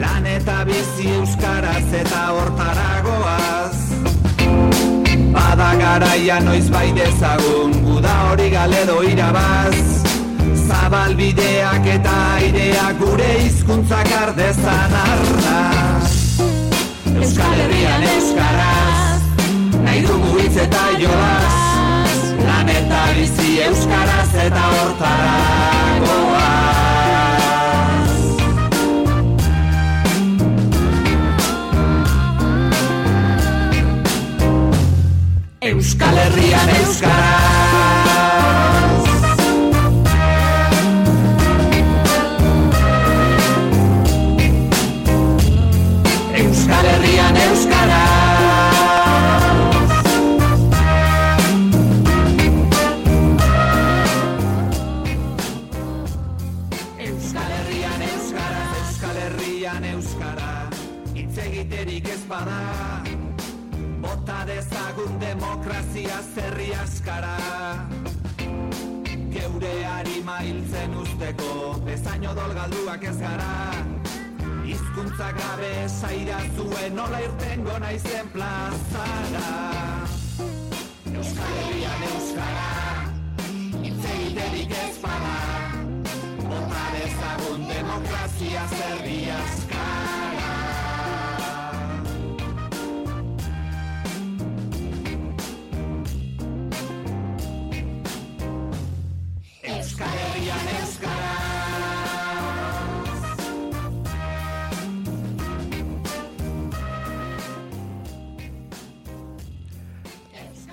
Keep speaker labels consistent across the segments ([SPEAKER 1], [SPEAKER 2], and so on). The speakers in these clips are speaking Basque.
[SPEAKER 1] lan eta bizi euskaraz eta hortaragoaz. Bada garaia noiz bai dezagun, guda hori galedo irabaz. Zabalbideak eta aireak gure hizkuntzak ardezan arnaz. Euskal Herrian euskaraz, nahi dugu hitz eta jolaz. Lan eta bizi euskaraz eta hortaragoaz. Euskal Herrian euskaraz. Euskal Herrian euskaraz. Euskal Herrian euskaraz, Euskal Herrian euskara. Hitz egiterik ez bada, bota dezagun demokrazia zerri askara. Geure harima hiltzen usteko, bezain odol galduak ez gara. Hizkuntza gabe saira zuen nola irtengo naizen plazara. Euskal Herrian euskara, hitz egiterik ez bada, bota dezagun demokrazia zerri askara. Euskal Herrian euskara.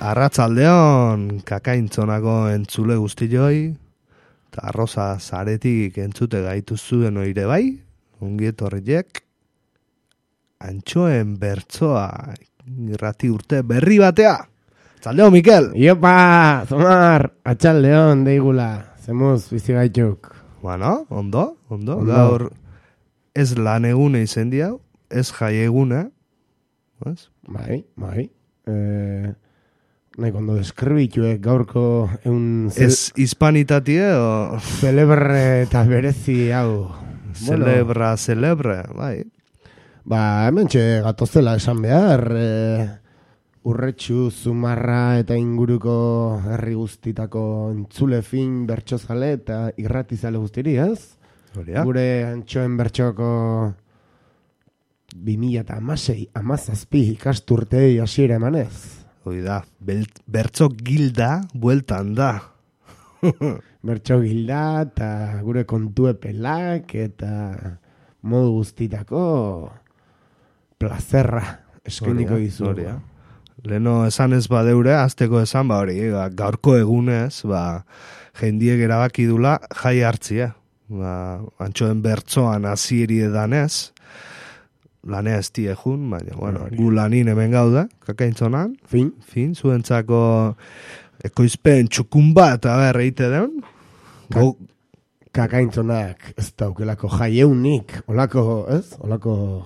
[SPEAKER 2] Arratsaldeon kakaintzonako entzule guztioi, eta Rosa Zaretik entzute gaituzuen oire bai, ongi etorriek, antxoen bertsoa irrati urte berri batea. Atzaldeo, Mikel!
[SPEAKER 3] Iopa, Zomar, atxaldeon deigula, zemuz bizi gaituk.
[SPEAKER 2] Bueno, ondo. Gaur ez lan egune izen diau, ez jai egune.
[SPEAKER 3] Bai. Nahi kondo deskribituek gaurko eun...
[SPEAKER 2] Ez hispanitatie o...
[SPEAKER 3] Celebre eta berezi hau.
[SPEAKER 2] Celebre, bai.
[SPEAKER 3] Ba, hemen txe gatozela esan behar, Urretxu, Zumarra eta inguruko herri guztitako entzule fin bertxozale eta irratizale guztiri, ez?
[SPEAKER 2] Horia.
[SPEAKER 3] Gure antxoen bertxoko 2016 ikasturtei hasiera emanez.
[SPEAKER 2] Hoi da, bertso gilda bueltan da.
[SPEAKER 3] Bertso gilda eta gure kontu epelak eta modu guztitako plazerra eskeniko dizu.
[SPEAKER 2] Leno esan ez badeure, azteko esan hori, gaurko egunez, jendiek erabaki dula jai hartzia. Antxoen bertsoan hasieri edanez, lanea ez diejun, baina, gu lanin hemen gauda, kakaintzonan. Fin, zuentzako ekoizpen txukun bat, eite den.
[SPEAKER 3] Kakaintzonak ez daukelako jaieunik, olako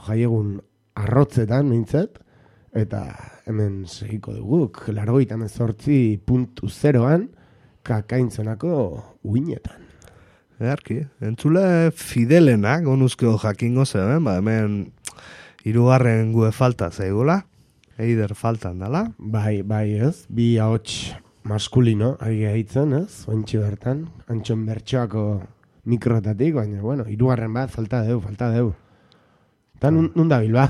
[SPEAKER 3] jaiegun arrotzetan mintzet, eta hemen segiko duguk, 88.0an kakaintzonako uinetan.
[SPEAKER 2] Earki, entzule fidelenak, onuzkeo jakingo zeben, hemen 3. gue falta zaigula, eider faltan dala.
[SPEAKER 3] Bai, ez, 2 ahots maskulino, ari gaitzen, ez, ointxe bertan, antxon bertxoako mikrotatik, baina, 3. bat falta deu. Eta nun dabil ba?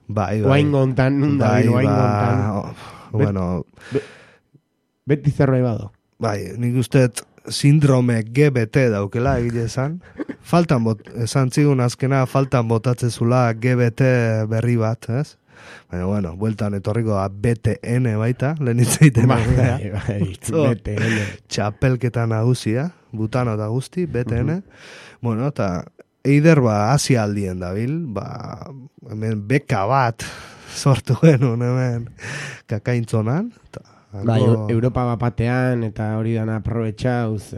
[SPEAKER 2] Bai.
[SPEAKER 3] Oaingontan, nun dabil, oaingontan. Beti zerbait bado.
[SPEAKER 2] Bai, nik usteet sindrome GBT daukela egile esan. Esan zigun azkena faltan botatzezula GBT berri bat, ez? Baina, bueltan etorriko da BTN baita, lehen itzaiten.
[SPEAKER 3] Bai, BTN.
[SPEAKER 2] Txapelketa nagusia, butano da guzti, BTN. Eta eider Asia aldien dabil, hemen beka bat sortu genuen hemen kakaintzonan,
[SPEAKER 3] Europa bapatean eta hori dana aprobetxauz.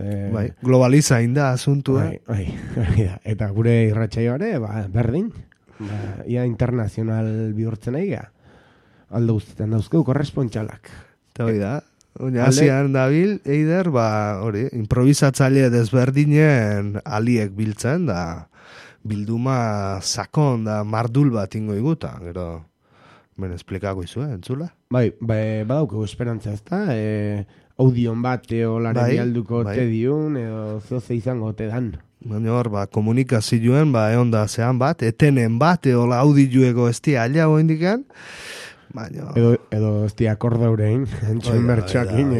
[SPEAKER 2] Globalizain da asuntu,
[SPEAKER 3] Eta gure irratsaioare, berdin. Ia internazional bihurtzen aiga. Aldo guztietan dauzkeu korrespontxalak.
[SPEAKER 2] Eta hori da. Asian dabil, eider, improvisatzaile desberdinen aliek biltzen, da bilduma sakon da mardul bat ingo iguta, gero ben esplikako izue, entzula?
[SPEAKER 3] Bai, badauko esperantza, ezta? Audion bat eolaren
[SPEAKER 2] Bai,
[SPEAKER 3] alduko
[SPEAKER 2] bai.
[SPEAKER 3] te diun, edo zoze izango te dan.
[SPEAKER 2] Baina hor, komunikazioen, egon da zean bat, etenen bat, eola audiueko ez dia aliago indikan, baina...
[SPEAKER 3] Edo ez di akorda urein, entxoen bertxoakin,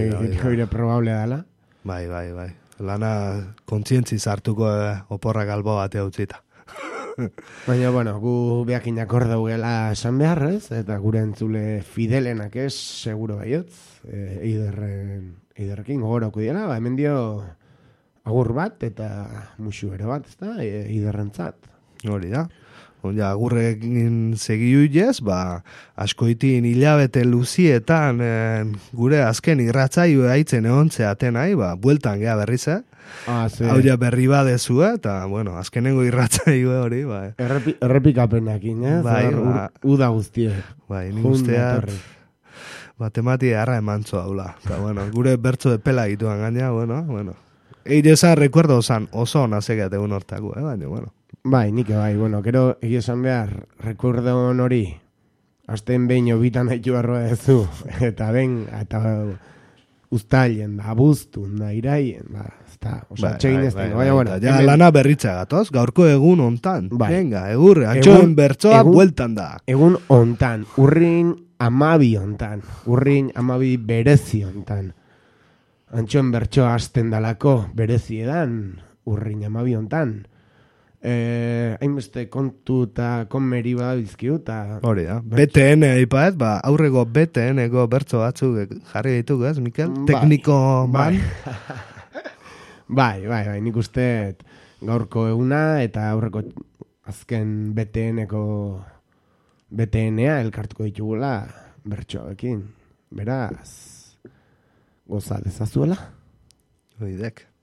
[SPEAKER 3] hori probable dala.
[SPEAKER 2] Bai. Lana kontzientzi zartuko oporrak albo bate utzita.
[SPEAKER 3] Baina, bueno, gu behakin akorda gela esan beharrez, eta gure entzule fidelenak ez, seguro baiotz, eiderrekin gogorauko diela, hemen dio agur bat eta musu ere bat, ezta, eiderrentzat.
[SPEAKER 2] Hori da. Ja, agurrekin segiuiez, askoitin hilabete luzietan gure azken irratzaio haitzen egontzeaten nahi, bueltan gea berriz, hau ja berri badezu, eta, bueno, azkenengo irratzaio hori,
[SPEAKER 3] Errepikapenakin, uda guztie.
[SPEAKER 2] Bai, nik usteat, matematia harra emantzo haula. Eta, bueno, gure bertzo de pela gituan gaina, bueno. Eire esan recuerdo oso ona zegat egun hortako, baina, bueno.
[SPEAKER 3] Bai, nik bai, bueno, gero egia esan behar, recuerdo hori, azten behin obitan haitu arroa ezu, eta uztailen, abuztun, iraien, txegin ez tengo, baina, bueno.
[SPEAKER 2] Ja, lana berritza gatoz, gaurko egun ontan, venga, egurre, antxoen bertzoa bueltan da.
[SPEAKER 3] Egun ontan, urrin amabi ontan, urrin amabi berezi ontan. Antxoen bertsoa hasten dalako berezi edan, urrin amabi ontan. Hainbeste kontu eta konmeri badizkiu eta...
[SPEAKER 2] Hori da, BTN aipaet, aurrego BTN-eko bertso batzuk jarri dituk, ez, Mikel? Tekniko man?
[SPEAKER 3] Bai, nik uste gaurko eguna eta aurreko azken BTN-a elkartuko ditugula bertsoekin. Beraz, goza dezazuela?
[SPEAKER 2] Oidek.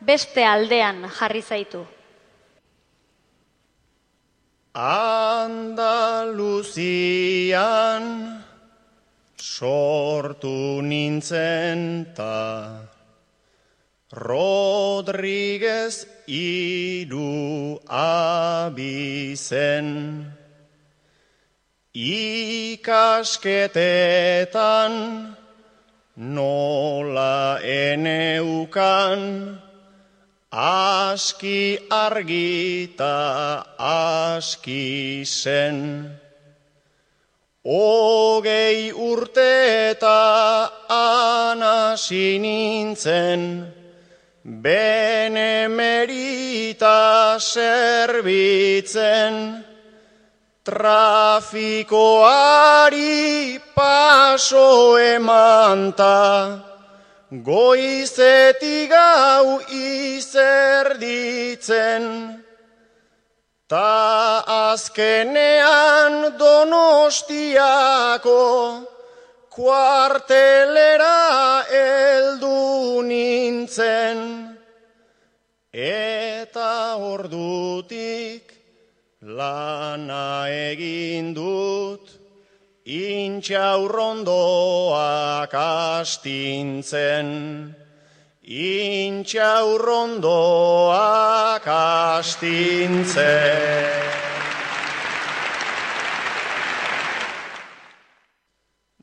[SPEAKER 4] Beste aldean jarri zaitu.
[SPEAKER 5] Andaluzian sortu nintzen ta Rodriguez hiru abizen ikasketetan nola eneukan aski argita aski zen. 20 urte eta anasi nintzen, benemerita zerbitzen, trafikoari paso emanta, goizetik gau izerditzen, ta azkenean Donostiako kuartelera heldu nintzen, eta ordutik lana egin dut, intxaurrondoak astintzen, intxaurrondoak astintzen.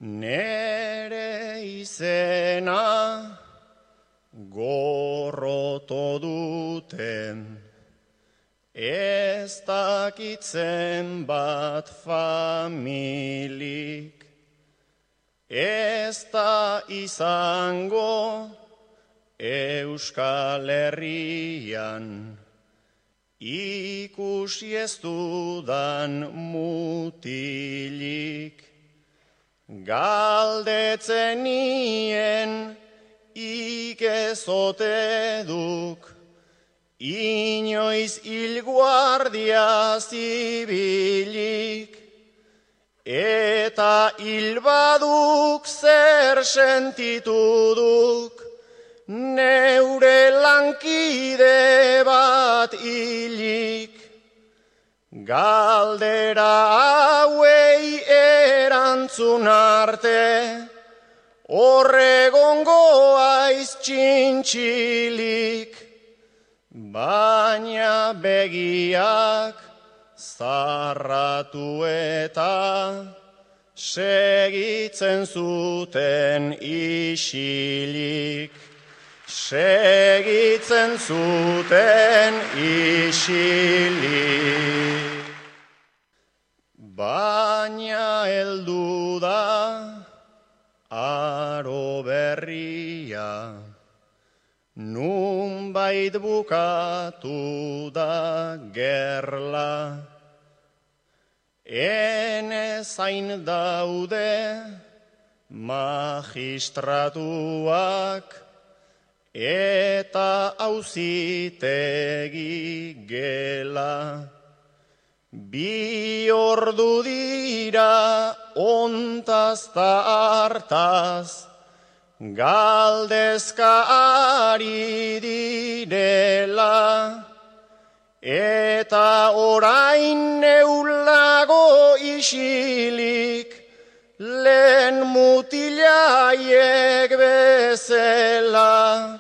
[SPEAKER 5] Nere izena gorroto duten, ez dakitzen bat familik, ez da izango Euskal Herrian, ikusi ez dudan mutilik, galdetzen nien ikezote duk, inoiz hilguardia zibilik, eta hilbaduk zer sentitu duk, neure lankide bat hilik. Galdera hauei erantzun arte, horregongo aiz txintxilik. baina begiak zarratu eta segitzen zuten isilik. Segitzen zuten isilik. Baina heldu da aro berria, nunbait bukatu da gerla. Ene zain daude magistratuak eta auzitegi gela. Bi ordu dira ontaz ta hartaz, galdezka ari direla. Eta orain neulago isilik, lehen mutilaiek bezala.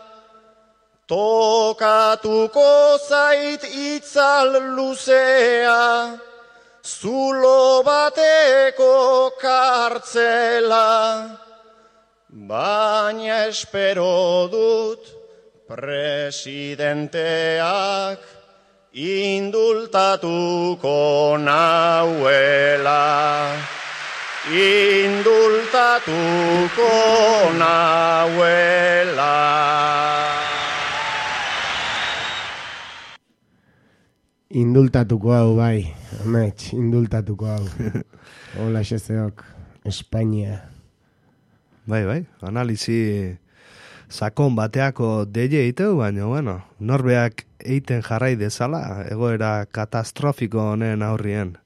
[SPEAKER 5] Tokatuko zait itzal luzea, zulo bateko kartzela. Baina espero dut presidenteak indultatuko nauela. Indultatuko nauela.
[SPEAKER 3] Indultatuko hau, bai, amets, indultatuko hau. Hola, xezeok, Espainia.
[SPEAKER 2] Bai, analizi sakon bateako deie eiteu, baina, bueno, norbeak eiten jarrai dezala, egoera katastrofiko honen aurrien.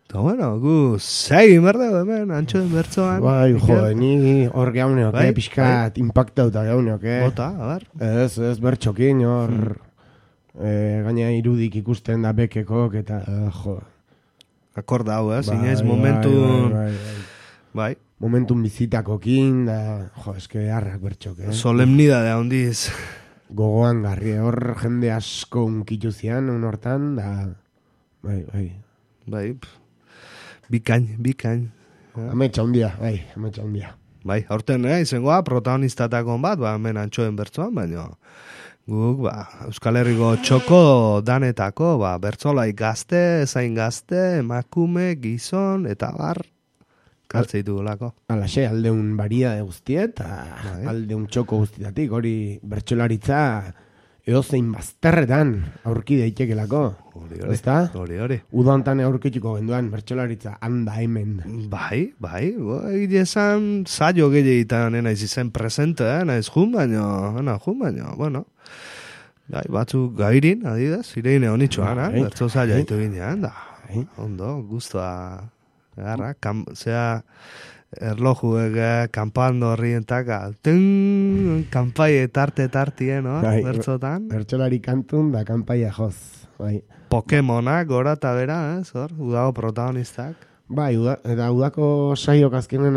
[SPEAKER 2] Eta, bueno, gu segin berdeu hemen, antxoen bertzoan.
[SPEAKER 3] Bai, ni hor gauneok, pixkat impactauta gauneok,
[SPEAKER 2] Bota, a ber.
[SPEAKER 3] Ez bertxokin, hor... gaina irudik ikusten da bekekok eta
[SPEAKER 2] akorda hau, zinez momentun bai.
[SPEAKER 3] Momentun bizitakokin da, eske harrak bertxok,
[SPEAKER 2] solemnidadea hondiz
[SPEAKER 3] gogoan garri, hor jende asko unkitu zian, hortan, da bai,
[SPEAKER 2] bikain
[SPEAKER 3] ametsa hundia,
[SPEAKER 2] bai, horten, izangoa protagonistatakon bat, hemen antxoen bertzoan, baina guk, Euskal Herriko txoko danetako, bertzolai gazte, zain gazte, emakume, gizon, eta bar, kartzeitu gulako.
[SPEAKER 3] Alaxe, aldeun baria de guztiet, aldeun txoko guztietatik, hori bertxolaritza edozein bazterretan aurki daitekelako.
[SPEAKER 2] Hori.
[SPEAKER 3] Udantan aurkituko genduan bertxolaritza handa hemen.
[SPEAKER 2] Bai, egizan saio gehiagitan naiz izen presente, naiz jun baino, bueno. Bai, batzuk gairin, adidaz, ireine honitxoan, bertzo zaila ditu ginean, da. Ondo, guztua, garra, zea erlojuek kanpando horrientaka, kanpai tartien, bertzotan.
[SPEAKER 3] Bertxolari kantun da kanpaia joz, bai.
[SPEAKER 2] Pokemonak, gora eta bera, hor, udago protagonistak.
[SPEAKER 3] Bai, eta udako saiok azkenen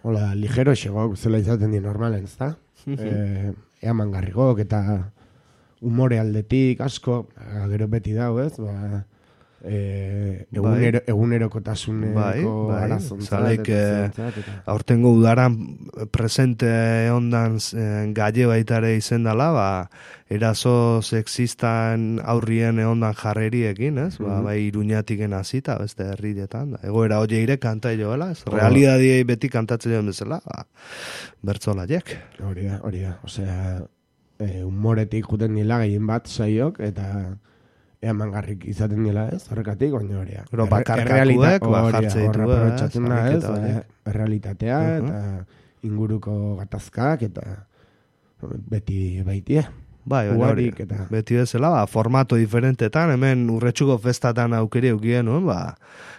[SPEAKER 3] hola, ligero xegok, zela izaten di normalen, ez da? Eaman garrigok eta umore aldetik asko, gero beti dau, ez? Egunerokotasuneko
[SPEAKER 2] zalaik aurtengo udaran presente ondan gaie baitare izendala, eraso sexistan aurrien ondan jarreriekin, ez? Bai Iruñatiken hasita beste herrietan, egoera hoieire kanta joela, ez? Realidadiei beti kantatzen joan bezala, bertzolaiek.
[SPEAKER 3] Hori da, osea, humoretik juten nila gehien bat saiok, eta eamangarrik izaten dela, ez? Horrekatik, baina hori.
[SPEAKER 2] Pero bakarkakuek, jartze ditu,
[SPEAKER 3] realitatea, eta inguruko gatazkak, eta beti baitie.
[SPEAKER 2] Bai, beti bezala, formato diferentetan, hemen urretxuko festatan aukeri eukien,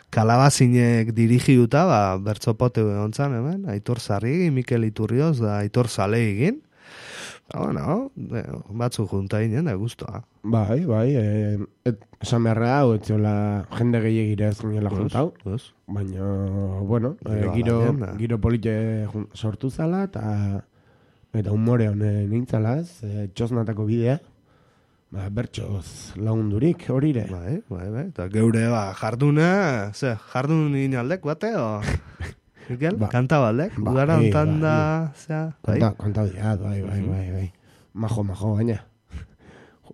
[SPEAKER 2] kalabazinek dirigiuta, bertzopote ontzan, hemen, Aitor Zarri, Mikel Iturrioz, da Aitor Zale egin. Bueno, batzu junta inen, da guztua.
[SPEAKER 3] Bai, esan beharra hau, etxola jende gehiagira ez ginela juntau. Baina, bueno, giro polite sortu zala, eta humore honen nintzala ez, txosnatako bidea. bertsoz lagundurik horire.
[SPEAKER 2] Bai. Eta geure jarduna, jardun inaldek bate, o... Mikel, kanta baldek, udara ontan da,
[SPEAKER 3] Kanta diat, bai. Majo, baina.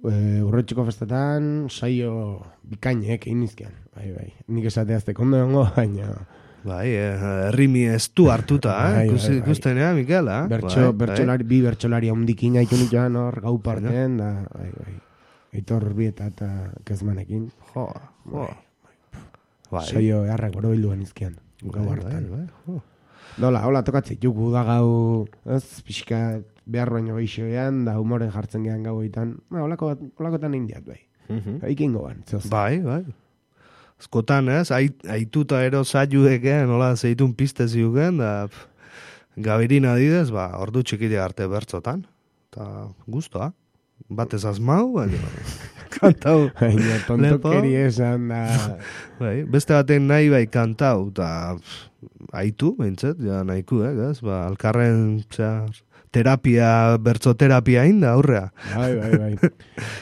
[SPEAKER 3] Urretxiko festetan, saio bikainek egin izkian. Bai. Nik esateazte kondo dongo, baina...
[SPEAKER 2] Bai, herrimi ez du hartuta, ikusten ea, Mikel,
[SPEAKER 3] bi bertsolari handikin haitu nituan hor gau parten, da, bai. Eitor Urbieta eta Kezmanekin.
[SPEAKER 2] Jo.
[SPEAKER 3] Saio eharrak boro bilduan izkian, gau hartan. Hola, tokatzik, jugu da gau, pixka behar baino geixoean, da humoren jartzen gehan gauetan, holakotan indiat, bai. Eikin goban, zoz.
[SPEAKER 2] Bai. Askotan, aituta ero zaiueken, nola zeitun piste ziuken, da gabirin adidez, ordu txikile arte bertzotan. Eta guztua. Batez azmau, baina kantau.
[SPEAKER 3] Baina tontokeri esan da.
[SPEAKER 2] Bai, beste baten nahi bai kantau, eta aitu, behintzet, ja nahiku, alkarren, terapia, bertzoterapia inda, aurrea.
[SPEAKER 3] Bai.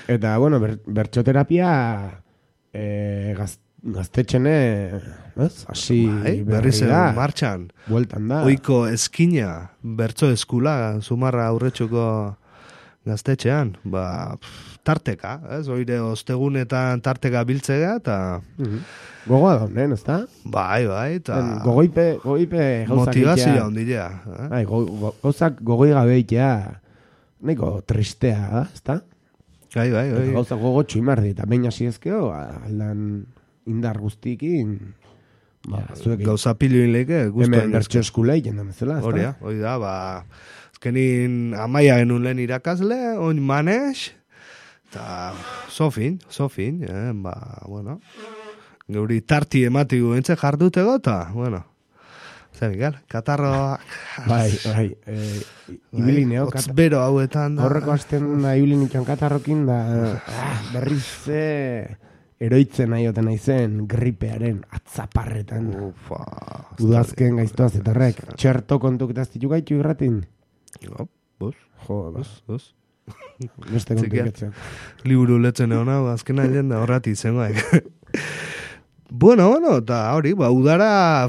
[SPEAKER 3] Eta, bueno, bertzoterapia gaztetxene, hasi
[SPEAKER 2] berriz martxan.
[SPEAKER 3] Bueltan da.
[SPEAKER 2] Oiko eskina, bertzo eskula, Zumarra aurretxuko gaztetxean, tarteka, oire ostegunetan tarteka biltzega, eta...
[SPEAKER 3] Gogoa da honen, ez da?
[SPEAKER 2] Bai, eta...
[SPEAKER 3] Gogoipe gauzak
[SPEAKER 2] motivazioa ondilea.
[SPEAKER 3] Gauzak gogoi gabeitea, neko tristea, ez da?
[SPEAKER 2] Bai.
[SPEAKER 3] Gauzak gogotxu imardi, eta baina ziezkeo, aldan indar guztikin...
[SPEAKER 2] Gauza pilioin leke, guztu.
[SPEAKER 3] Hemen bertxo eskulei, jendan bezala, ez da?
[SPEAKER 2] Hori da, azkenin amaia genuen lehen irakasle, oin manes, eta sofin, bueno, geuri tarti ematigu entze jardutego, eta, bueno, Mikel, katarroa...
[SPEAKER 3] Bai, ibilineo.
[SPEAKER 2] Otzbero hauetan da.
[SPEAKER 3] Horreko azten da ibilinitxan katarrokin da, berriz eroitzen aioten naizen gripearen atzaparretan. Udazken gaiztoaz eta horrek. Txerto kontuk eta aztitu gaitu irratin.
[SPEAKER 2] Bos.
[SPEAKER 3] Beste kontuk
[SPEAKER 2] liburu letzen egon hau, azkena jenda horrati zengoek. Bueno, eta hori, udara,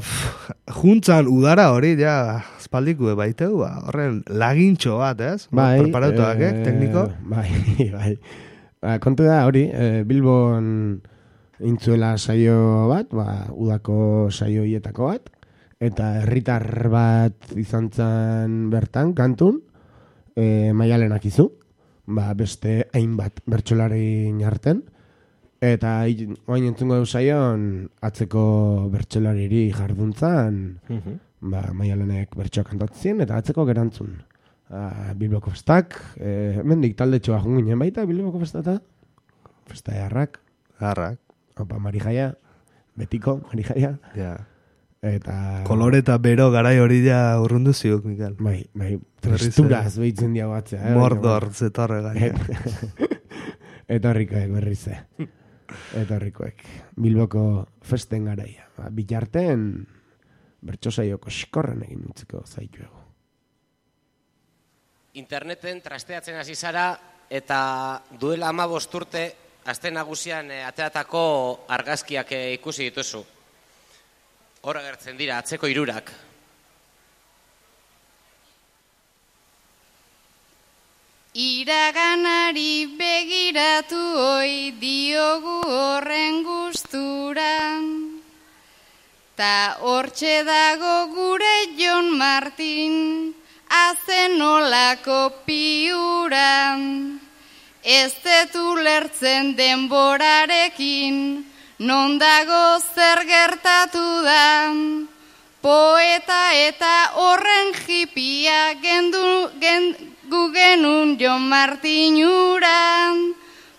[SPEAKER 2] juntzan udara hori, ja, espaldikue baiteu, horren lagintxo bat, ez? Preparatuak, tekniko?
[SPEAKER 3] Bai. Kontu da, hori, Bilbon intzuela saio bat, udako saio hietako bat, eta herritar bat izan zen bertan, kantun, Maialenak izu, beste hainbat bertsolari jarten, eta oain entzungo deu saion atzeko bertsolariri jarduntzan, Maialenek bertsoak kantatzen, eta atzeko gerantzun. Bilboko festak, mendik talde txoa junginen baita, Bilboko festata, festa eharrak. Opa, Marijaia, betiko, Marijaia. Eta...
[SPEAKER 2] Kolore eta bero garai hori ja urrundu ziuk, Mikel.
[SPEAKER 3] Bai, tristuraz behitzen dia batzea.
[SPEAKER 2] Mordor zetorre gai.
[SPEAKER 3] Eta horrikoek berrize. Eta horrikoek. Bilboko festen garaia. Bitarten, bertxosaioko xkorren egin utziko zaituego.
[SPEAKER 6] Interneten trasteatzen hasi zara eta duela 15 urte aste nagusian ateratako argazkiak ikusi dituzu. Hor agertzen dira atzeko hirurak.
[SPEAKER 7] Iraganari begiratu oi diogu horren gustura. Ta hortxe dago gure Jon Martin, azenolako piura. Ez detu lertzen denborarekin, non dago zer gertatu da. Poeta eta horren jipia gu genun Jon Martin ura.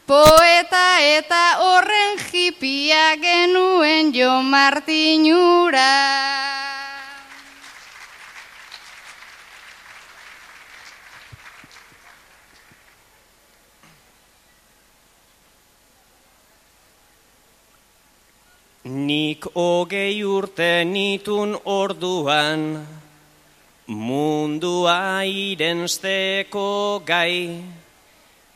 [SPEAKER 7] Poeta eta horren jipia genuen Jon Martin ura.
[SPEAKER 6] Nik 20 urte nitun orduan, mundua irensteko gai,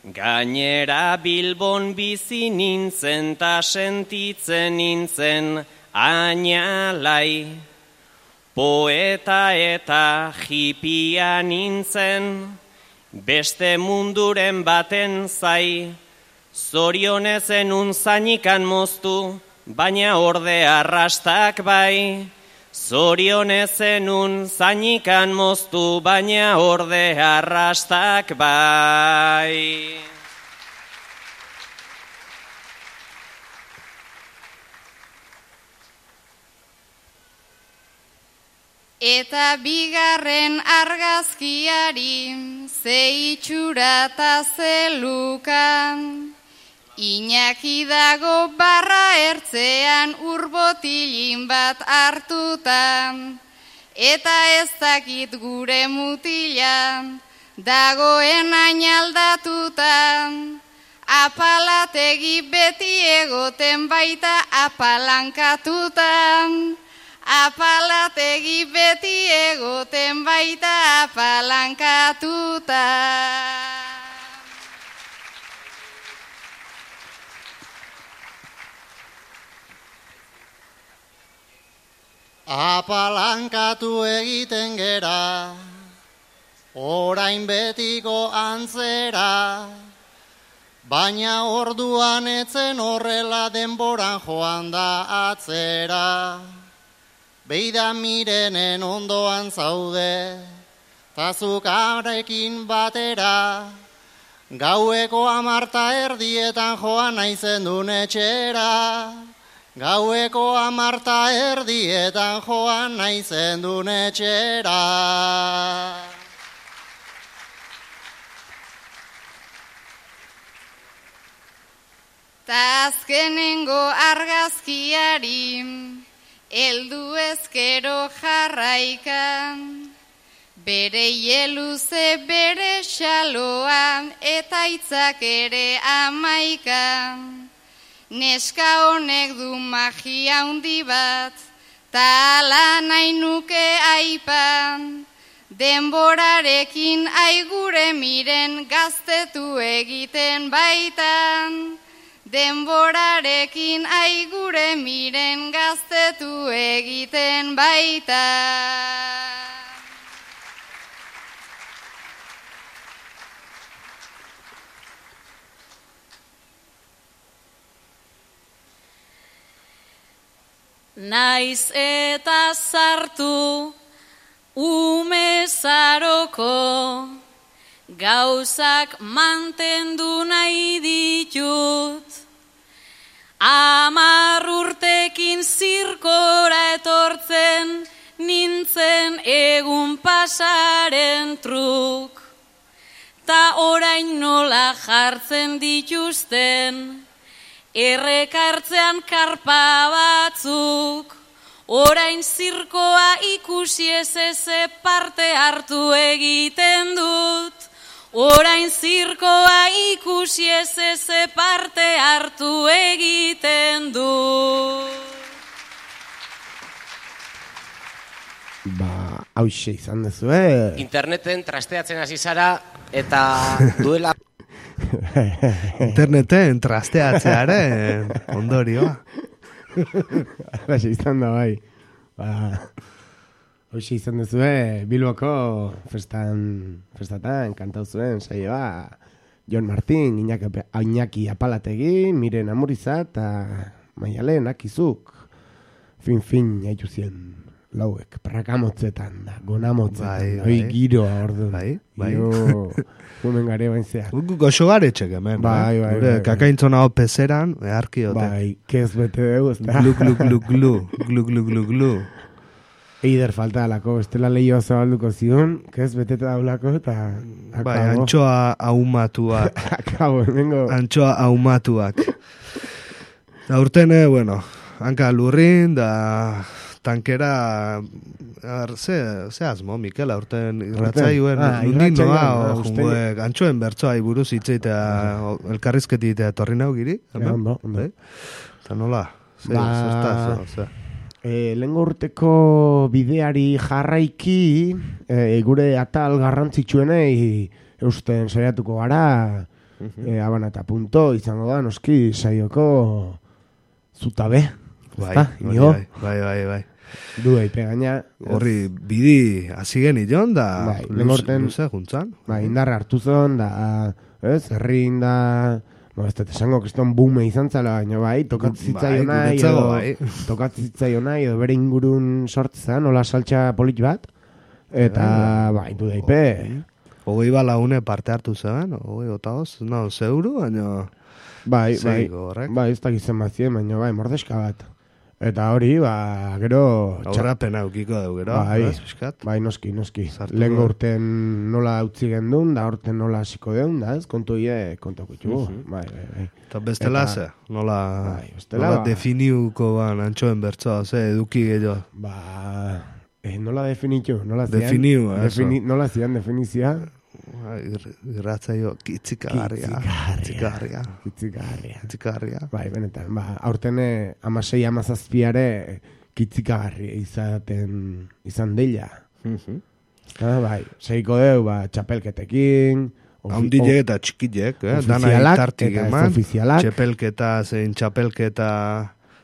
[SPEAKER 8] Gainera Bilbon bizi nintzen ta sentitzen nintzen ainalai. Poeta eta hipia nintzen, beste munduren baten zai. Zorionez enun zainikan moztu, baina orde arrastak bai. Zorionez enun zainikan moztu, baina orde arrastak bai.
[SPEAKER 7] Eta bigarren argazkiari ze itxura ta zelukan. Iñaki dago barra ertzean urbotilin bat hartuta. Eta ez dakit gure mutila dagoen ainaldatuta. Apalategi beti egoten baita apalankatuta. Apalategi beti egoten baita apalankatuta.
[SPEAKER 5] Apalankatu egiten gera, orain betiko antzera, baina orduan etzen horrela denboran joan da atzera. Beida mirenen ondoan zaude, tazukarekin batera, gaueko 10:00 joan naizen dun etxera. Gaueko 10:00 joan naizen dun etxera.
[SPEAKER 7] Ta azkenengo argazkiari heldu ezkero jarraikan, bere ieluze bere xaloa eta hitzak ere 11. Neska honek du magia handi bat, ta ala nahi nuke aipan. Denborarekin aigure miren gaztetu egiten baitan. Denborarekin aigure miren gaztetu egiten baitan.
[SPEAKER 9] Naiz eta sartu umezaroko, gauzak mantendu nahi ditut. 10 urtekin zirkora etortzen nintzen egun pasaren truk. Ta orain nola jartzen dituzten errekartzean karpa batzuk. Orain zirkoa ikusi ez parte hartu egiten dut. Orain zirkoa ikusi ez parte hartu egiten dut.
[SPEAKER 3] Hauxe izan dezue.
[SPEAKER 6] Interneten trasteatzen hasi zara eta duela...
[SPEAKER 2] Interneten trasteatzearen ondorioa.
[SPEAKER 3] Hauxe izan da bai. Hauxe izan dezue Bilboko festatan kantau zuen saioa Jon Martin, Iñaki Apalategi, Miren Amuriza eta Maialen Akizuk. Fin haitu zien lauek, prakamotzetan da, gonamotzetan, hoi giroa ordu.
[SPEAKER 2] Bai.
[SPEAKER 3] Gumen gare bainzea.
[SPEAKER 2] Goxo garetxek hemen,
[SPEAKER 3] bai.
[SPEAKER 2] Kakaintzona hau pezeran, eharkiote.
[SPEAKER 3] Bai, kez bete dugu, ez da.
[SPEAKER 2] Glu.
[SPEAKER 3] Eider falta alako, estela lehioa zabalduko zion, kez beteta daulako, eta...
[SPEAKER 2] Bai, antxoa ahumatuak.
[SPEAKER 3] Akabo, hemengo...
[SPEAKER 2] Antxoa ahumatuak. Aurten, bueno, hanka lurrin, da... Tankera, ze asmo, Mikel, aurten irratzaioen, nundin noa, antxoen bertzoa buruz hitzeitea, elkarrizketitea torri nau giri?
[SPEAKER 3] Ondo.
[SPEAKER 2] Eta nola, zertaz,
[SPEAKER 3] lehengo urteko bideari jarraiki, gure atal garrantzitsuenei eusten saiatuko gara, Abana eta punto izango da, noski saioko zutabe.
[SPEAKER 2] Bai.
[SPEAKER 3] Du eipe gaina.
[SPEAKER 2] Horri bidi hasi genion da luze juntzan.
[SPEAKER 3] Indarra hartu zon, da, herrin da, ez dut esango kriston bume izan zala, baina tokatzitzaio nahi, edo bere ingurun sortzea, nola saltxa polit bat, eta, du daipe.
[SPEAKER 2] 20 laune parte hartu zen, 20 zeuru, baina...
[SPEAKER 3] Bai, ez dakitzen bat zien, baina mordeska bat. Eta hori, gero...
[SPEAKER 2] Aurrapena eukiko dugu, gero.
[SPEAKER 3] Bai, noski. Lehen urten nola utzi gendun, da urten nola hasiko deun, da ez, kontu kontako itxugu. Bai.
[SPEAKER 2] Eta bestela ze, nola definiuko antxoen bertsoa, eduki gehiago.
[SPEAKER 3] Nola definitu, nola zian definizia.
[SPEAKER 2] Irratzaio kitzikarria.
[SPEAKER 3] Bai, benetan, aurten 16-17 kitzikagarria izan deila. Bai, seiko deu, txapelketekin,
[SPEAKER 2] haundilek eta txikilek, dana itartik eman, txapelketa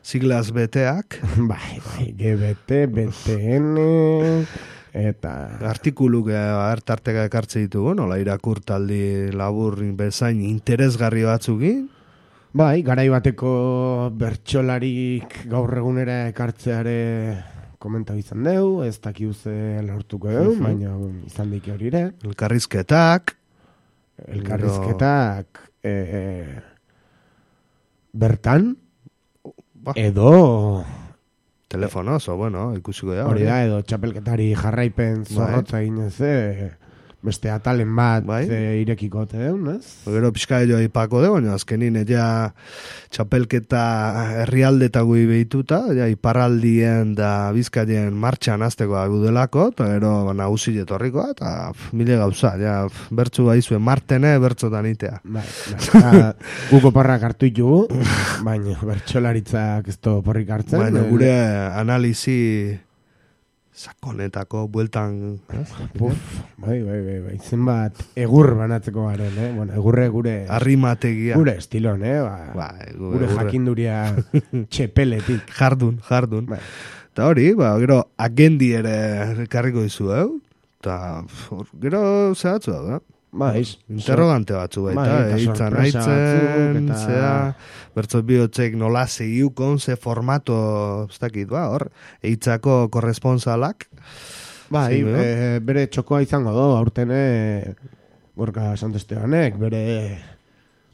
[SPEAKER 2] siglaz beteak.
[SPEAKER 3] Bai, GBT, BTN... Eta
[SPEAKER 2] artikuluk hartarteka ekartze ditugu, nola irakurtaldi labur bezain interesgarri batzukin?
[SPEAKER 3] Bai, garai bateko bertsolarik gaur egunera ekartzeare komentau izan deu, ez dakiuze lortuko deu, baina izan dike hori ere.
[SPEAKER 2] Elkarrizketak bertan, edo... Telefonoz, ikusiko da.
[SPEAKER 3] Hori da, edo txapelketari jarraipen zorrotza ginez, beste atalen bat irekiko deun, ez?
[SPEAKER 2] Gero pixka edo aipako de, baina azkenin ja txapelketa herrialdetako behituta, ja iparraldien da bizkaien martxan azteko agudelako, eta gero nagusi jetorriko, eta mile gauza, ja bertzu baizue martene bertzotan itea.
[SPEAKER 3] Guko parrak hartu ditugu, baina bertsolaritzak ez to porrik hartzen.
[SPEAKER 2] Baina gure analizi sakonetako bueltan
[SPEAKER 3] bai zenbat egur banatzeko garen, egurre gure
[SPEAKER 2] arrimategia
[SPEAKER 3] gure estilon, gure jakinduria txepeletik
[SPEAKER 2] jardun eta hori, gero agendi ere karriko dizu, eta gero zehatzu da, interrogante batzu baita, eitzan aitzen, bertzot bihotzek nola segiukon, ze formato, ez dakit, hor, eitzako korresponsalak.
[SPEAKER 3] Bere txokoa izango do, aurten Gorka Santestebanek, bere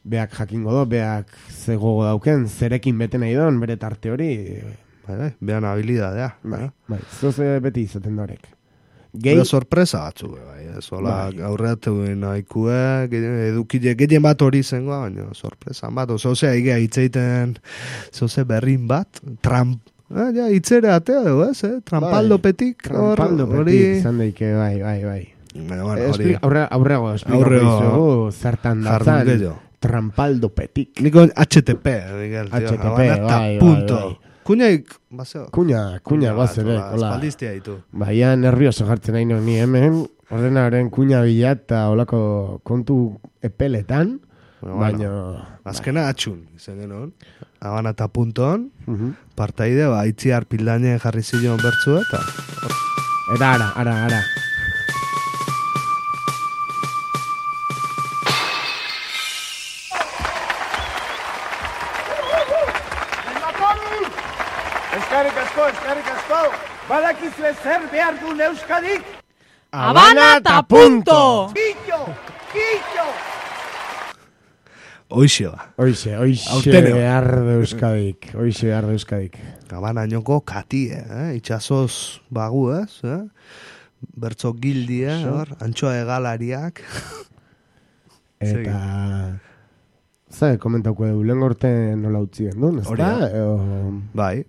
[SPEAKER 3] beak jakingo do, beak zegogo dauken, zerekin bete nahi don, bere tarte hori.
[SPEAKER 2] Bean habilidadea.
[SPEAKER 3] Zoze beti izaten dorek.
[SPEAKER 2] Gero sorpresa batzu, aurreatu nahikue, edukile gehien bat hori zengoa, baina sorpresa bat, zozea igea hitzeiten, zoze berrin bat, hitzere atea dugu, trampaldopetik.
[SPEAKER 3] Trampaldopetik, izan daike, bai. Aurrego, esplikatu zertan datzan, trampaldopetik.
[SPEAKER 2] Niko HTTP,
[SPEAKER 3] bai.
[SPEAKER 2] Kuña
[SPEAKER 3] bazere,
[SPEAKER 2] espaldiztia ditu.
[SPEAKER 3] Baina nervioso jartzen nahi ni hemen, ordenaren kuña bila eta olako kontu epeletan, baina...
[SPEAKER 2] Azkena atxun, izan genon. Abana eta punton, partaide, itziar pildaine jarri zilion bertzu eta...
[SPEAKER 3] Eta ara.
[SPEAKER 10] Eskerrik asko, badakizue zer behar du Euskadik?
[SPEAKER 9] Habana eta punto!
[SPEAKER 10] Killo!
[SPEAKER 2] Hoixe
[SPEAKER 3] behar du Euskadik.
[SPEAKER 2] Habana nioko kati, itxasoz bagu, bertzo gildi, antxoa egalariak.
[SPEAKER 3] Eta... Zer, komentauko edo, lehen gorte nola utzi gendun, ez da?
[SPEAKER 2] Bai.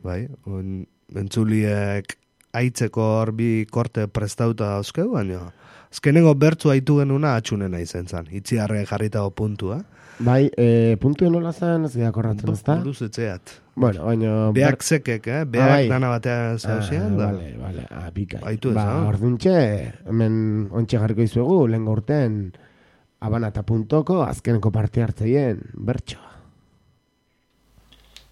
[SPEAKER 2] Entzuliek aitzeko horbi korte prestauta dauzkeu, baina azkenengo bertzu haitu genuna atxunena izen zan. Itziarre jarritago puntua.
[SPEAKER 3] Bai, puntu nola zen, ez gira korratzen, ez da?
[SPEAKER 2] Buruz etzeat.
[SPEAKER 3] Bueno, baina...
[SPEAKER 2] Beak zekek, beak dana batea zauzian.
[SPEAKER 3] Bale, apika.
[SPEAKER 2] Haitu ez,
[SPEAKER 3] orduntxe, hemen ontxe jarriko izuegu, lehen gorten abanata.ko azkeneko parte hartzeien bertsoa.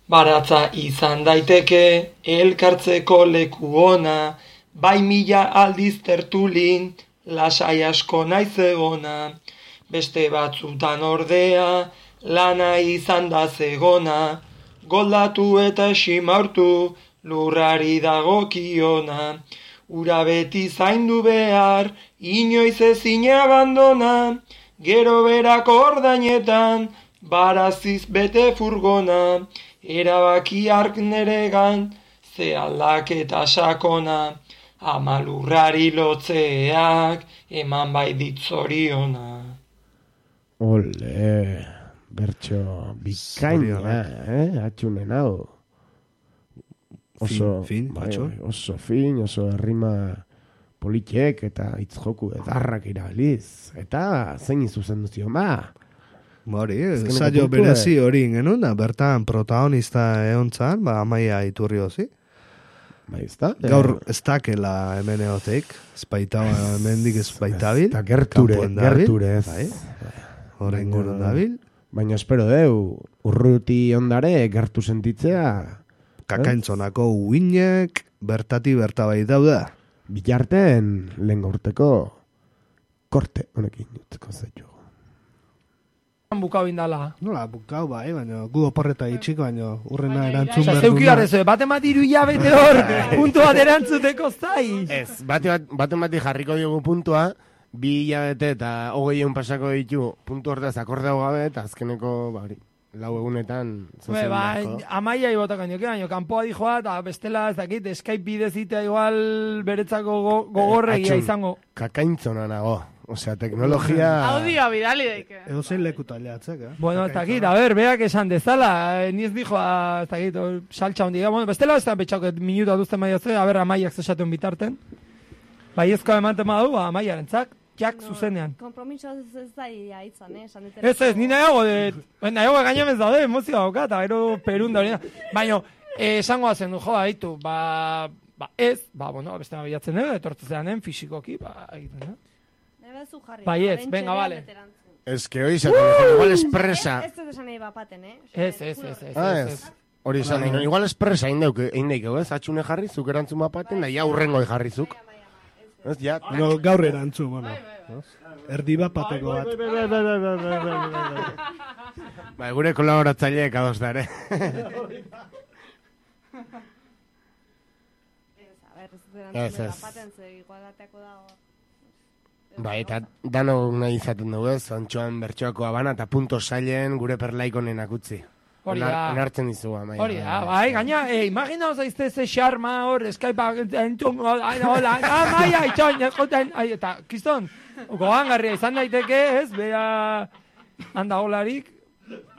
[SPEAKER 11] Baratza izan daiteke elkartzeko leku ona, bai mila aldiz tertulin, lasai asko naiz egona. Beste batzutan ordea, lana izan da zegona, goldatu eta simaurtu, lurrari dagokiona. Ura beti zaindu behar, inoiz ezin abandona, gero berako ordainetan, baraziz bete furgona. Erabaki hark neregan, ze aldaketa sakona, ama lurrari lotzeak, eman bai dit zoriona.
[SPEAKER 3] Ole, bertso bikaina, atxunen hau. Oso fin, oso errima politiek eta hitzjoku edarrak irabiliz. Eta zein izuzen duzion, ba?
[SPEAKER 2] Hori, saio berezi hori genuen da, bertan protagonista egontzan, Amaia Iturriozi.
[SPEAKER 3] Bai, ez da?
[SPEAKER 2] Gaur ez dakela hemen egoteik, hemendik espaitabil.
[SPEAKER 3] Eta gerture ez.
[SPEAKER 2] Hora ingurun dabil.
[SPEAKER 3] Baina espero deu, urruti ondare gertu sentitzea.
[SPEAKER 2] Kakaintzonako uinek bertati bertabai dauda.
[SPEAKER 3] Bilarten lehen gaurteko korte honekin dutzeko zaitu.
[SPEAKER 9] Bukau indala.
[SPEAKER 2] Nola, bukau bai, baina gu oporreta itxiko, baina urrena erantzun behar
[SPEAKER 9] zeuki garrez, bate mati iru hilabete hor, puntu bat erantzuteko zai.
[SPEAKER 3] Ez, bate mati jarriko diogu puntua, 2 hilabete eta 20 pasako ditu puntu hortaz akordeu gabe, eta azkeneko, bari, 4 egunetan.
[SPEAKER 9] Amaia ibotako nioke, baina kanpoa dijoa, eta bestela ez dakit, Skype bidezitea igual beretzako gogorregia izango.
[SPEAKER 3] Kakaintzona nago. Osea, teknologia...
[SPEAKER 12] Audio bidali daike.
[SPEAKER 2] Ego zein leku taliatzek,
[SPEAKER 9] Bueno, ez dakit, a ver, beak esan dezala, ni ez dijo, ez dakit, saltxa hondiga. Bueno, bestela ez da betxauket minutu aduzten maia ze, a ver, Amaiak zesaten bitarten. Bai ezko emanten madu, Amaiaren zak, jak zuzenean.
[SPEAKER 12] Kompromiso ez da itzan,
[SPEAKER 9] Ez, ni nahiago, gainamez daude, emozioa dauka, eta gero perun da hori. Baina, esango zen du, joa, ditu, ez, bueno, beste bilatzen dugu, etortzeanen, fisikoki, egiten, Bai ez, venga, vale.
[SPEAKER 3] Ez que hori izaten, igual espresa.
[SPEAKER 12] Ez ez esan nahi bapaten,
[SPEAKER 9] Ez.
[SPEAKER 3] Hori izan, igual espresa indeikeu, ez? Atxune jarri, zuk erantzun bapaten, da ja urrengo jarrizuk. Ez, ja.
[SPEAKER 2] Gaur erantzun, bueno. Erdi bapateko bat.
[SPEAKER 3] Bai, gure kolaboratzaileek ados da, ere. Bai, eta dano nahi izaten dugu ez, Antxoan bertsoako abana eta punto sailen gure perlaikonenak utzi.
[SPEAKER 9] Hori da.
[SPEAKER 3] Onartzen dizu, Amaia.
[SPEAKER 9] Hori da, bai, gaina, imagina zaizte ze xarma hor, Skype, entzun, hola, Amaia, itxon, jaskoten, eta, kiston, gogangarria izan daiteke, ez, bera, handa holarik,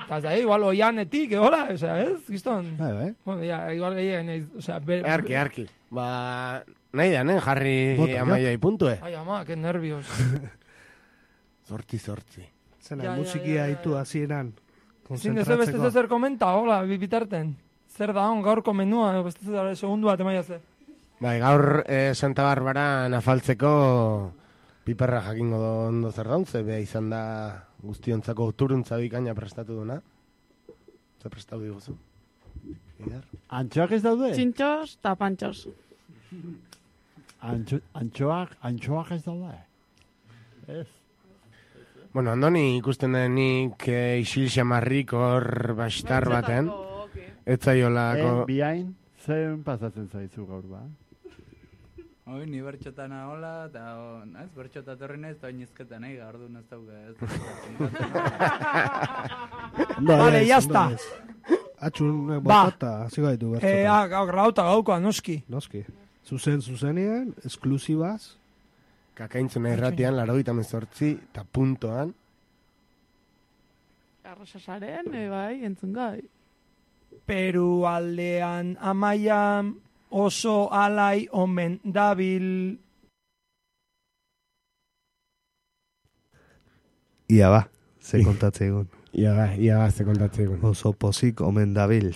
[SPEAKER 9] eta zai, igual oianetik, hola, ez, kiston.
[SPEAKER 2] Bai.
[SPEAKER 9] Bueno, ya, igual gehiagen,
[SPEAKER 3] Arki. Nahi da, jarri Amaiai puntue.
[SPEAKER 9] Ai, ama, que nervios.
[SPEAKER 3] Zortzi.
[SPEAKER 2] Zena, musikia haitu hasieran.
[SPEAKER 9] Zin dezu beste zer komenta, hola, bitarten. Zer da, gaurko menua, beste zer segundu bat emaia ze.
[SPEAKER 3] Bai, gaur Santa Barbara nafaltzeko piperra jakingo ondo zer daunze, beha izan da guztiontzako turuntza bikaina prestatu duna. Zer prestatu diguzu?
[SPEAKER 13] Antxoak ez daude?
[SPEAKER 12] Txintxos eta pantxos.
[SPEAKER 13] Antxoak ez daude? Ez.
[SPEAKER 3] Bueno, andoni ikusten denik isil xamarrik hor bastar baten. Ez zaiolako...
[SPEAKER 13] Biain, zen pasatzen zaizu gaur ba?
[SPEAKER 14] Hoi, ni bertxotan ahola, eta ez, bertxotat horren ez, eta oinizketan nahi, gaur du naztau ez.
[SPEAKER 9] Vale, jazta.
[SPEAKER 2] Atxun botata, ziko ditu bertxotan.
[SPEAKER 9] Grauta gaukoa, noski.
[SPEAKER 2] Zuzenean, esklusibaz.
[SPEAKER 3] Kakaintzuna irratian, 98 eta puntoan.
[SPEAKER 12] Arrosasaren, bai, entzun gai.
[SPEAKER 9] Peru aldean Amaia oso alai omen dabil.
[SPEAKER 2] Ia ba, ze kontatze egun.
[SPEAKER 3] Ia ba, ze kontatze egun.
[SPEAKER 2] Oso pozik omen dabil.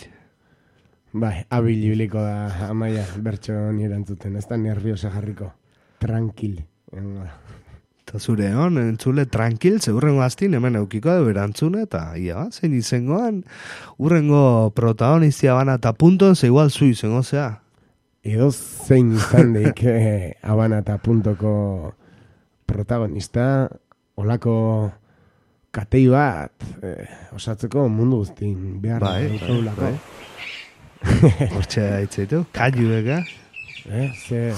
[SPEAKER 3] Bai, habilibiliko da Amaia bertso nire entzuten. Ez da nerviosa jarriko. Tranquil.
[SPEAKER 2] Eta zure hon, entzule tranquil, ze urrengo aztin hemen eukiko du erantzune, eta ia, zein izengoan, urrengo protagonistia bana eta punton, ze igual zu izango zea.
[SPEAKER 3] Edo zein izan deik Habana eta puntoko protagonista, olako katei bat osatzeko mundu guztin behar.
[SPEAKER 2] Bai. Hortxe haitzeitu, kaiu ega.
[SPEAKER 3] Ze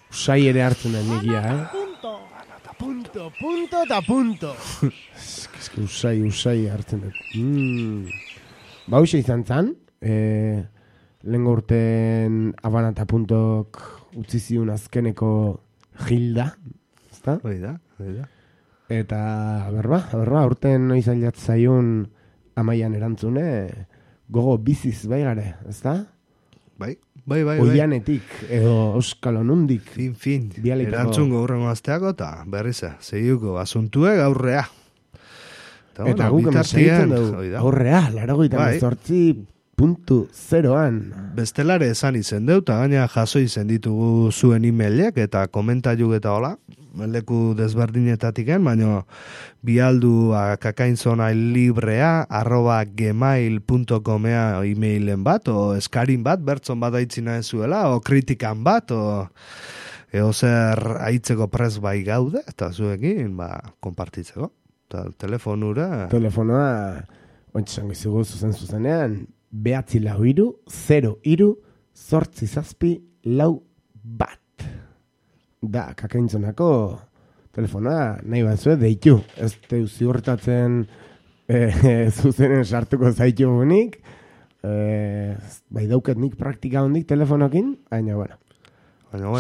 [SPEAKER 3] usai ere hartzen da negia, Punto eta punto. Eske usai hartzen dut. Ba, hoxe izan zan, lehenko urten Habana eta puntok utzi ziun azkeneko Gilda, ezta?
[SPEAKER 2] Oida.
[SPEAKER 3] Eta, berba, urten noiz ailat zaiun Amaian erantzune, gogo biziz bai gare, ezta?
[SPEAKER 2] Bai.
[SPEAKER 3] Oianetik, edo Euskal Onundik.
[SPEAKER 2] Fin. Erantzungo urrengo azteako, eta berriz, zeiuko asuntue gaurrea.
[SPEAKER 3] Eta guk emeseitzen dugu, aurrea, 98.0an.
[SPEAKER 2] Bestelare esan izen deu, eta gaina jaso izen ditugu zuen emailek, eta komentaiuk eta hola, leku desberdinetatiken, baina bialdu kakainzonailibrea@gmail.comea emailen bat, o eskarin bat, bertzon bat aitzina ezuela, o kritikan bat, o zer aitzeko prez bai gaude, eta zuekin, konpartitzeko. Eta telefonoa,
[SPEAKER 3] ointxango izugu zuzenean, 943-03-874 da, kakaintzonako telefonoa nahi batzue deitu. Ez teu ziurtatzen zuzenen sartuko zaitu gunik, bai dauket nik praktika hondik telefonokin, baina bueno.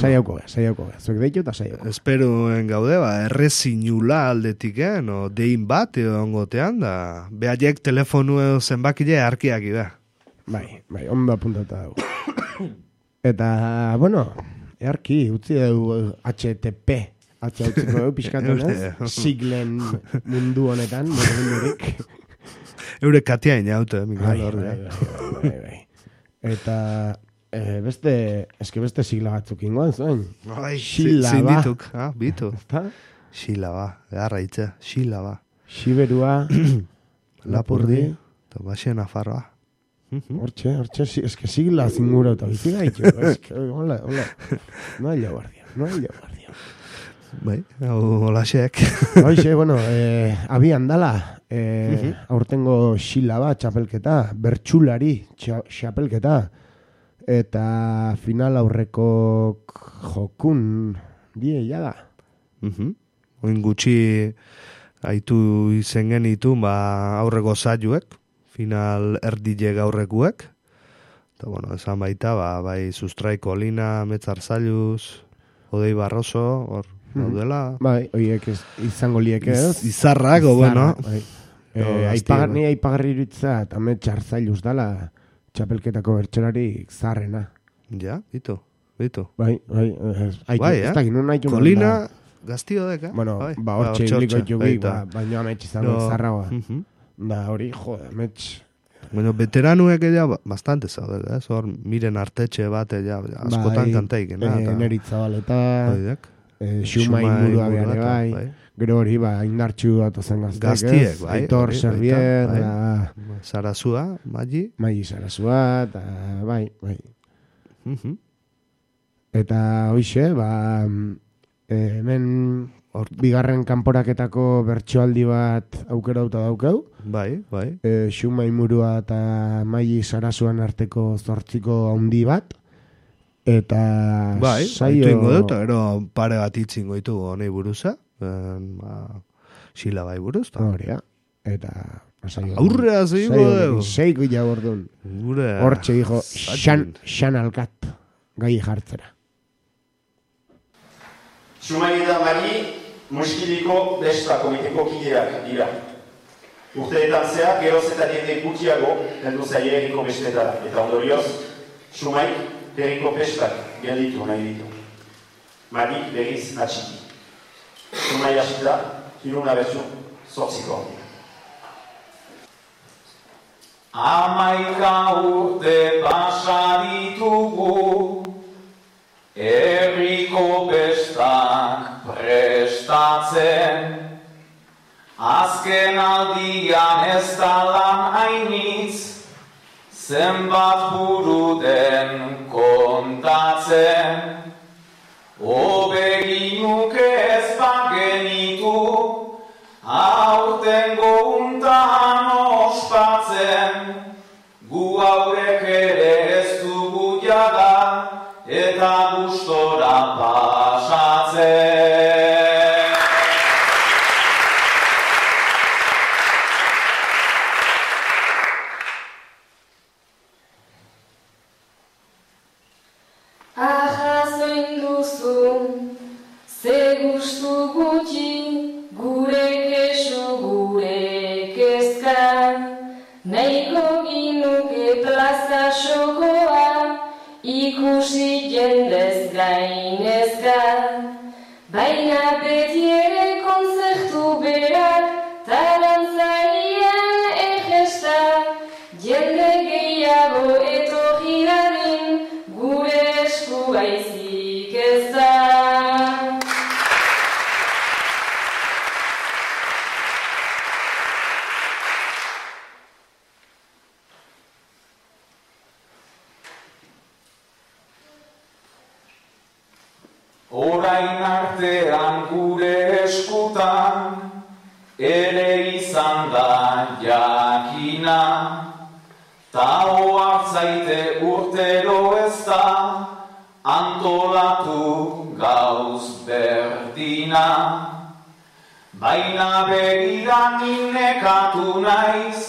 [SPEAKER 3] Saiauko, zuek deitu eta saiauko.
[SPEAKER 2] Esperuen gaude, errezinula aldetik, no dein bat ongotean, da behaiek telefonu edo zenbakile arkiak ida.
[SPEAKER 3] Bai, ondo apuntata dugu. Eta, bueno, earki, utzi dugu HTTP, utziko dugu pixkatu, siglen mundu honetan, mundurik.
[SPEAKER 2] Eure katia inaute, Miguel Horre.
[SPEAKER 3] Bai. Eta, beste sigla batzuk ingoan zuen.
[SPEAKER 2] Zindituk, bitu. Xilaba, garra itxe, xilaba.
[SPEAKER 3] Xiberua, Lapurdi,
[SPEAKER 2] eta Baxen Afarroa.
[SPEAKER 3] Hortxe, eske sigla zingura eta bizi gaitu. Hola. No hay guardia.
[SPEAKER 2] Bai, hola xek.
[SPEAKER 3] Hoxe, bueno, abian dala, aurtengo xilaba txapelketa, bertxulari txapelketa, eta final aurreko jokun die jada.
[SPEAKER 2] Oin gutxi aitu izen genitu aurreko zailuek, final erdile gaurrekuek. Eta bueno, esan baita, bai Sustraiko Lina, Metzar Zailuz, Odei Barroso, hor daudela.
[SPEAKER 3] Bai, oiek izango lieke ez?
[SPEAKER 2] Izarrak, bueno.
[SPEAKER 3] Ni aipagarri iritza, eta Metzar Zailuz dala, txapelketako bertxelarik zarrena.
[SPEAKER 2] Ja, bitu.
[SPEAKER 3] Bai, ez da ginen nahi
[SPEAKER 2] Kolina, Gaztio deka.
[SPEAKER 3] Bueno, hortxe hiliko itxugik, baina ametx izango zarragoa. Da hori, ametx.
[SPEAKER 2] Bueno, veteranuek ella bastante zaudel, hor miren artetxe bat ella askotan kantaik.
[SPEAKER 3] Neritza baleta, Xumai murua behar bai. Gero hori, indartxu bat ozen
[SPEAKER 2] gaztiek, bai.
[SPEAKER 3] Aitor Servier,
[SPEAKER 2] Sarasua, Magi.
[SPEAKER 3] Magi Sarasua, eta bai. Eta hoxe, hemen bigarren kanporaketako bertsoaldi bat aukerauta daukau.
[SPEAKER 2] Bai.
[SPEAKER 3] Xumai murua eta Magi Sarasuan arteko 8 handi bat. Eta
[SPEAKER 2] saio ingo dut, gero pare bat itzingo ditu honei buruza. Xila bai buruz.
[SPEAKER 3] Horia. Eta
[SPEAKER 2] aurrea zeiko dugu.
[SPEAKER 3] Seiko jagordun. Hortxe dijo, xan alkat gai jartzera.
[SPEAKER 15] Xumai eta Mari muskiliko besta komiteko kideak dira. Urteetan zehar, geroz eta diende gutiago heldu zaie herriko bestetara. Eta ondorioz, Xumai herriko bestak gelditu nahi ditu. Mari berriz atxiki. Xumai hasita, hiruna bezu, 8.
[SPEAKER 1] Amaika urte pasaditugu, herriko bestak presta
[SPEAKER 16] kontatzen, azken aldian ez da lan hainitz, zenbat buru den kontatzen. Hobe ginuke ez bagenitu, aurtengo untan ospatzen, gu aurrek ere ez dugu jada, eta gustora pasatzen.
[SPEAKER 17] Ahazoin duzu, ze gustu gutxi, gure kesu, gure kezka. Nahiko ginuke plaza xokoa, ikusi jendez gainezka. Baina beti ere konzertu berak, tarantzaian egesta. Jende gehiago etorri dadin, gure esku baizik ez da.
[SPEAKER 16] Orain artean gure eskutan, ere izan da jakina, ta ohartzaite urtero ez da, antolatu gauz berdina. Baina begiran nekatu naiz,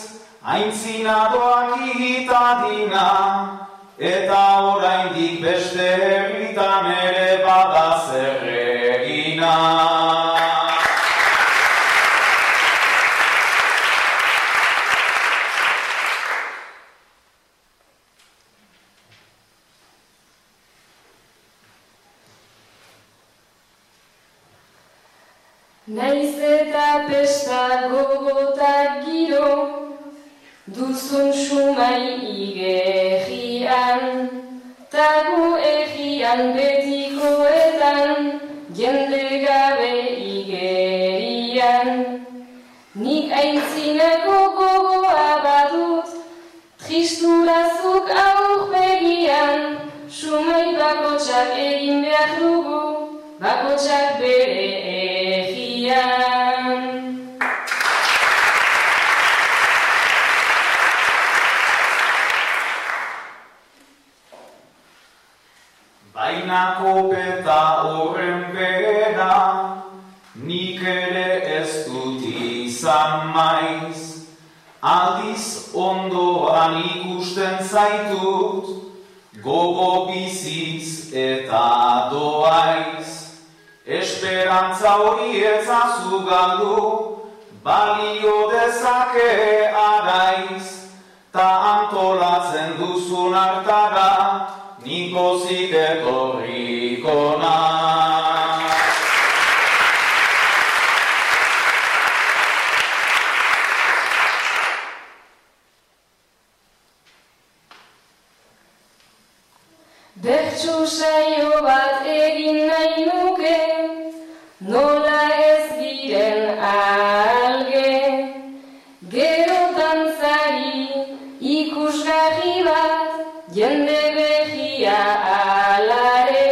[SPEAKER 16] aintzinadoak itadina, eta oraindik beste herritan ere bada zer egina.
[SPEAKER 17] Naiz eta pesta gogotak giro, duzun sumai igerrian, tagu egian betikoetan, jende gabe igerian. Nik aintzinako gogoa badut, tristurazuk aurpegian, sumai bakotsak egin behar dugu, bakotsak bere egian.
[SPEAKER 16] Baina kopeta horren bera, nik ere ez dut izan maiz. Aldiz ondoan ikusten zaitut, gogo biziz eta doaiz. Esperantza hori etzazu galdu, balio dezake araiz. Ta antolatzen duzun hartara, nikozik etorriko naiz.
[SPEAKER 17] Bertso saio bat egin nahi nuke, nola ez diren alge. Gero dantzari ikusgarri bat, jende behia alare.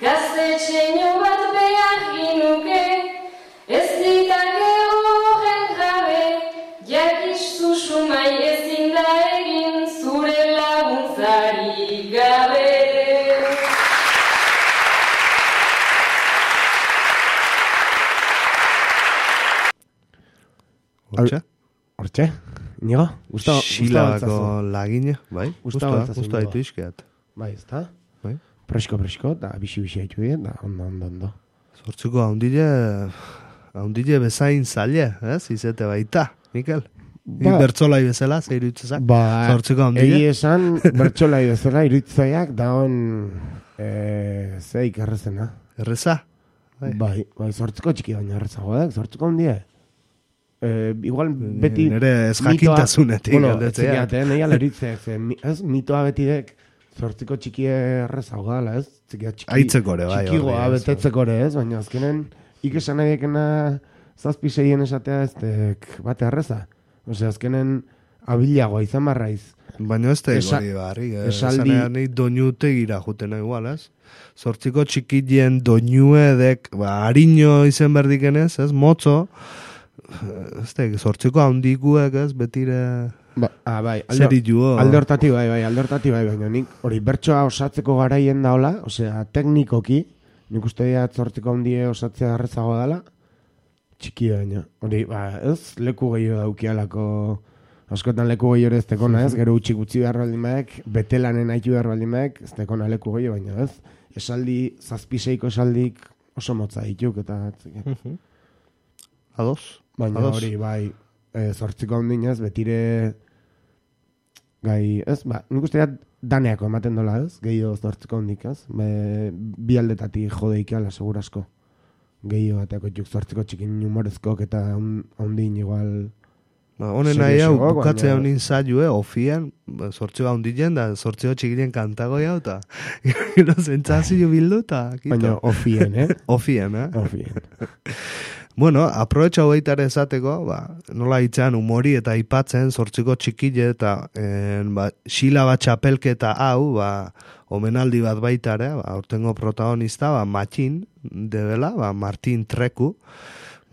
[SPEAKER 17] Gaztetxeño bat behar ginuke, ez ditake horren jabe, jakizu sumai ezin da egin zure laguntzari gabe.
[SPEAKER 3] Hortxe? Nigo?
[SPEAKER 2] Xilako lagine, bai? Gusta ditu izkeat.
[SPEAKER 3] Bai, ez da?
[SPEAKER 2] Bai?
[SPEAKER 3] Presko, eta bixi haitu dien, da ondo.
[SPEAKER 2] Zortzuko haundile bezain zaila, ez? Izete baita, Mikel? Bertsolai bezala, ze iruditzezak? Zortzuko haundile?
[SPEAKER 3] Egi esan, bertsolai bezala iruditzaiak daon zeik errezena.
[SPEAKER 2] Erreza?
[SPEAKER 3] Bai, zortzuko txiki baina errezago, zortzuko haundile. Igual beti
[SPEAKER 2] nire ez jakintasunetik
[SPEAKER 3] galdetzea. Nahi aleritzek, ez mitoa betidek zortziko txiki errezago gala, ez?
[SPEAKER 2] Aitzeko ere, bai.
[SPEAKER 3] Txikigoa betetzeko ere, ez? Baina azkenen esan nahi dekena 7-6 esatea ez bate arreza. Osea, azkenen abilagoa izan marraiz.
[SPEAKER 2] Baina ez da hori barri, esanean nahi doinute gira jutena igual, ez? Zortziko txikitien doinuedek, harino izen berdikenez, ez? Motzo, ez da, zortziko handikuek, ez? Betire...
[SPEAKER 3] bai,
[SPEAKER 2] zerituo.
[SPEAKER 3] Alde hortati bai, baina nik hori bertsoa osatzeko garaien da hola, osea, teknikoki, nik uste dira zortziko handie osatzea garrezago dela, txiki baina. Hori, ez, leku gehiago daukialako, askotan leku gehiago ez tekona, ez, gero utxik utzi behar baldin baek, betelanen haitu behar baldin baek, ez tekona leku gehiago baina, ez, esaldi, 7-6 esaldik oso motza dituk, eta...
[SPEAKER 2] Ados?
[SPEAKER 3] Baina hori, bai, zortziko handinez, betire... Gai, ez, nik uste dira daneako ematen dola, ez, gehiago zortziko handik, ez, bi aldetatik jodeik ala, segurasko. Gehiago bateako txuk zortziko txikin humorezkok eta handin igual...
[SPEAKER 2] Honen nahi hau, bukatzea honin zailu, ofien, zortziko handien da, zortziko txikilien kantago jau, eta gero zentzazio bildu, eta...
[SPEAKER 3] Baina ofien,
[SPEAKER 2] Ofien. Bueno, aprobetxa hogeitare esateko, nola hitzean humori eta aipatzen zortziko txikile eta xila bat txapelketa hau, omenaldi bat baitare, aurtengo protagonista, Matxin, debela, Martin Treku,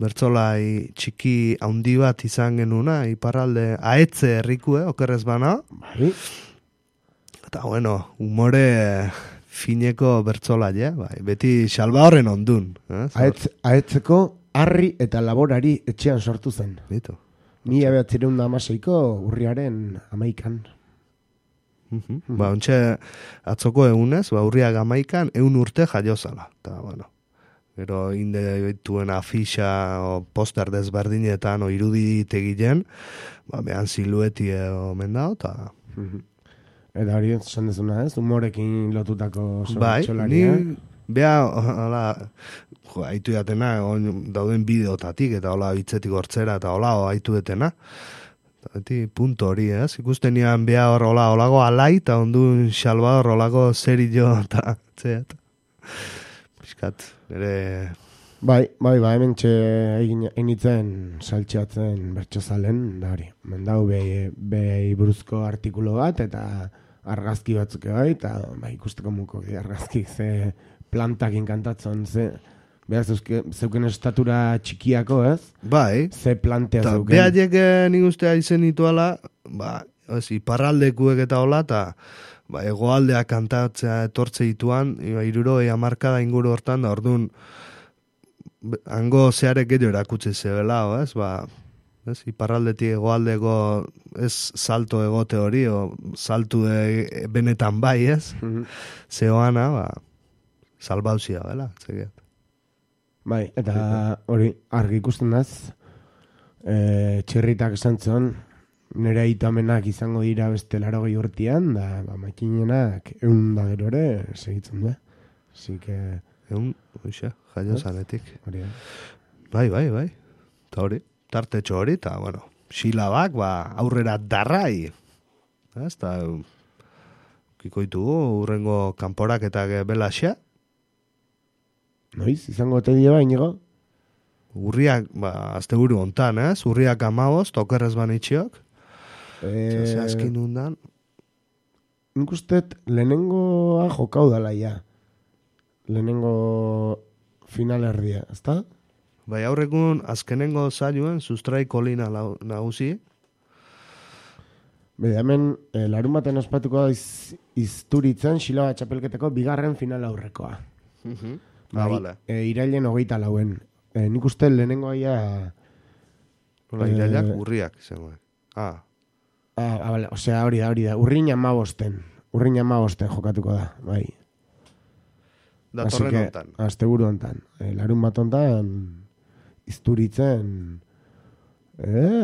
[SPEAKER 2] bertzolai txiki handi bat izan genuna, iparralde aetze herriku, okerrez bana. Eta, bueno, humore fineko bertzolai, beti salba horren ondun.
[SPEAKER 3] Aetzeko harri eta laborari etxean sortu zen.
[SPEAKER 2] Bito.
[SPEAKER 3] 1916ko urriaren 11an.
[SPEAKER 2] Ontxe atzoko egunez, urriak 11an, 100 urte jaiozala. Eta, bueno, gero inde dituen afixa o poster desberdinetan o iruditegilen, behan silueti omen dao, eta...
[SPEAKER 3] Eta hori esan dezuna, ez? Humorekin lotutako
[SPEAKER 2] txolaria. Beha, hola, haitu jatena, dauden bideotatik, eta hola hitzetik hortzera, eta hola, haitu detena. Eta punto hori, ez? Ikusten nian beha hor, hola, holago alai, eta ondun Salvador holago zeri jo, eta txeat. Piskat, nire...
[SPEAKER 3] Bai, hemen einitzen saltxeatzen bertxozalen, da hori. Mendau behi buruzko artikulo bat, eta argazki batzuk bai, eta ikusteko muko argazki ze plantakin kantatzen, ze behar zeuken estatura txikiako, ez?
[SPEAKER 2] Bai.
[SPEAKER 3] Ze plantea zeuken.
[SPEAKER 2] Behaiek nik ustea izen ituala, iparraldekuek eta hola, eta egoaldea kantatzea etortze dituan, 60 inguru hortan, da orduan, hango zearek gehiago erakutsi zebela, ez? Iparraldetik egoaldeko ez salto egote hori, o saltu benetan bai, ez? Zeoana, salbauzia, bela, zegiat.
[SPEAKER 3] Bai, eta hori, argi ikusten daz, txirritak esan zion, nire aitamenak izango dira beste 80 urtean, da, makinenak 100 da gero ere, segitzen du, Así que...
[SPEAKER 2] 100, jaio zanetik.
[SPEAKER 3] Bai.
[SPEAKER 2] Eta hori, tartetxo hori, eta, bueno, xilabak, aurrera darrai. Eta, kikoitugu, urrengo kanporak eta belaxea.
[SPEAKER 3] Noiz, izango te dio bainigo?
[SPEAKER 2] Urriak, azte buru ontan, ez? Urriak 15, okerrez banitxiok. Zehazkin undan.
[SPEAKER 3] Nik ustet, lehenengoa jokau dala ja. Lehenengo final erdia, ezta?
[SPEAKER 2] Bai, aurrekun azkenengo zailuen sustrai kolina nagusi.
[SPEAKER 3] Bede, hemen larun baten ospatuko da izturitzen Xilaba txapelketeko bigarren final aurrekoa.
[SPEAKER 2] Vale.
[SPEAKER 3] Irailen 24. Nik uste lehenengo aia...
[SPEAKER 2] Irailak urriak izango.
[SPEAKER 3] Vale, osea, hori da. Urrin 15 jokatuko da, bai.
[SPEAKER 2] Datorren ontan.
[SPEAKER 3] Azte buru ontan. Larun bat ontan izturitzen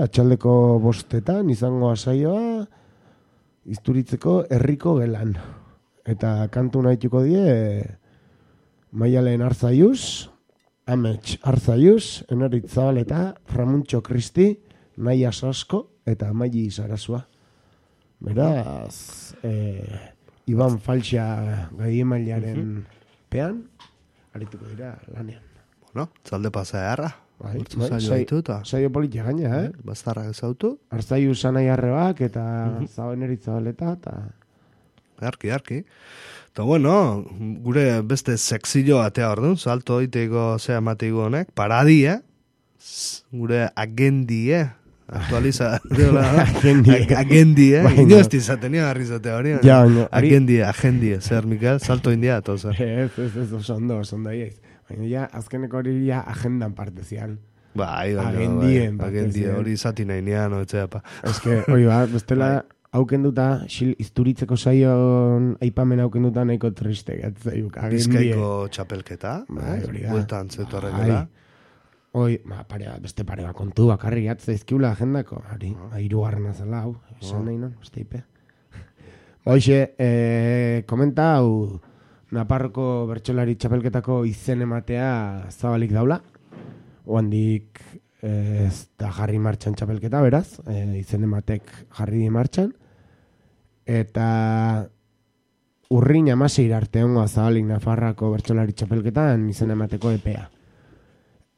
[SPEAKER 3] atxaldeko 5 izango asaioa izturitzeko herriko gelan. Eta kantu nahituko die Maialen Arzaiuz, Amets Arzaiuz, Enorit Zabaleta, Ramuntxo Kristi, Naia Sasko eta Maili Sarasua. Beraz, Iban Falxa gaiemailaren pean, arituko dira lanean.
[SPEAKER 2] Bueno, zalde pasajarra.
[SPEAKER 3] Bai,
[SPEAKER 2] saio
[SPEAKER 3] politia gaina,
[SPEAKER 2] Bastarrak ezautu.
[SPEAKER 3] Arzaiu sanai arrebak eta zabeneritza baleta, eta...
[SPEAKER 2] Arki. Eta bueno, gure beste sexillo atea orduan, salto iteko zea mateigo honek, paradia, gure agendie, agendie, ino ez dizatenia garrizate hori, agendie, zer, Mikel, salto india, eta zer.
[SPEAKER 3] Ez, oso ondo iaiz. Baina ja, azkeneko hori ja agendan parte zian.
[SPEAKER 2] Agendien, hori izati nahi nian, etxeapa.
[SPEAKER 3] Ez que, hori bestela, haukenduta, izturitzeko saion aipamen haukenduta nahiko triste, gatzaiuk.
[SPEAKER 2] Bizkaiko txapelketa, bueltan zetu arregela.
[SPEAKER 3] Beste pare bat kontu bakarri gatzaizkiula agendako, hirugarrena zela, hau, esan nahi non, beste ipe. Hoxe, komenta, hau, Naparroko bertsolari txapelketako izen ematea zabalik daula. Oandik ez da jarri martxan txapelketa, beraz. Izen ematek jarri martxan. Eta urrin 16 arte ongoa zabalik Nafarrako bertsolari txapelketan izen emateko epea.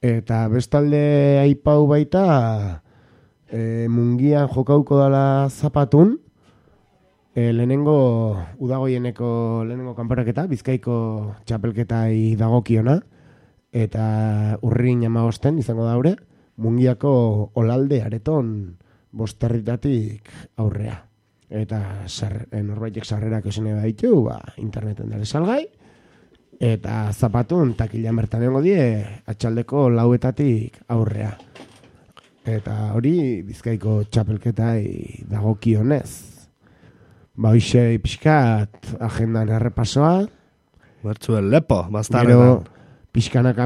[SPEAKER 3] Eta bestalde aipau baita mungian jokauko dala zapatun. Lehenengo udagoieneko lehenengo kanporaketa, Bizkaiko txapelketai dagokiona, eta urrin 15 izango daure, mungiako olalde areton 5 herritatik aurrea. Eta norbaitek sarrerak esene baditu, interneten dara salgai, eta zapatun takilan bertan egongo die atxaldeko 4etatik aurrea. Eta hori Bizkaiko txapelketai dagokionez. Hoxe pixkat agendan errepasoa.
[SPEAKER 2] Bertzuen lepo, bastarretan.
[SPEAKER 3] Pixkanaka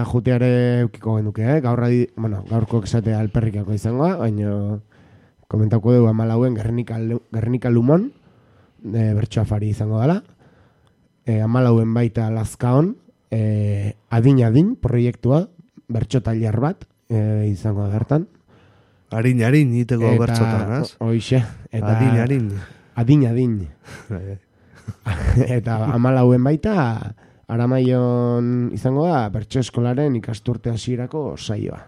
[SPEAKER 3] juteare eukiko genduke, gaurko esatea alperrikako izangoa, baina komentauko dugu 14 Gernika Lumon, bertsoa fari izango dela. 14 baita Lazkaon, adin proiektua, bertso tailer bat izango da bertan.
[SPEAKER 2] Harin, iteko bertsotan, ez?
[SPEAKER 3] Hoxe. Adin. Eta 14 baita, Aramaion izango da, bertso eskolaren ikasturte hasierako saioa.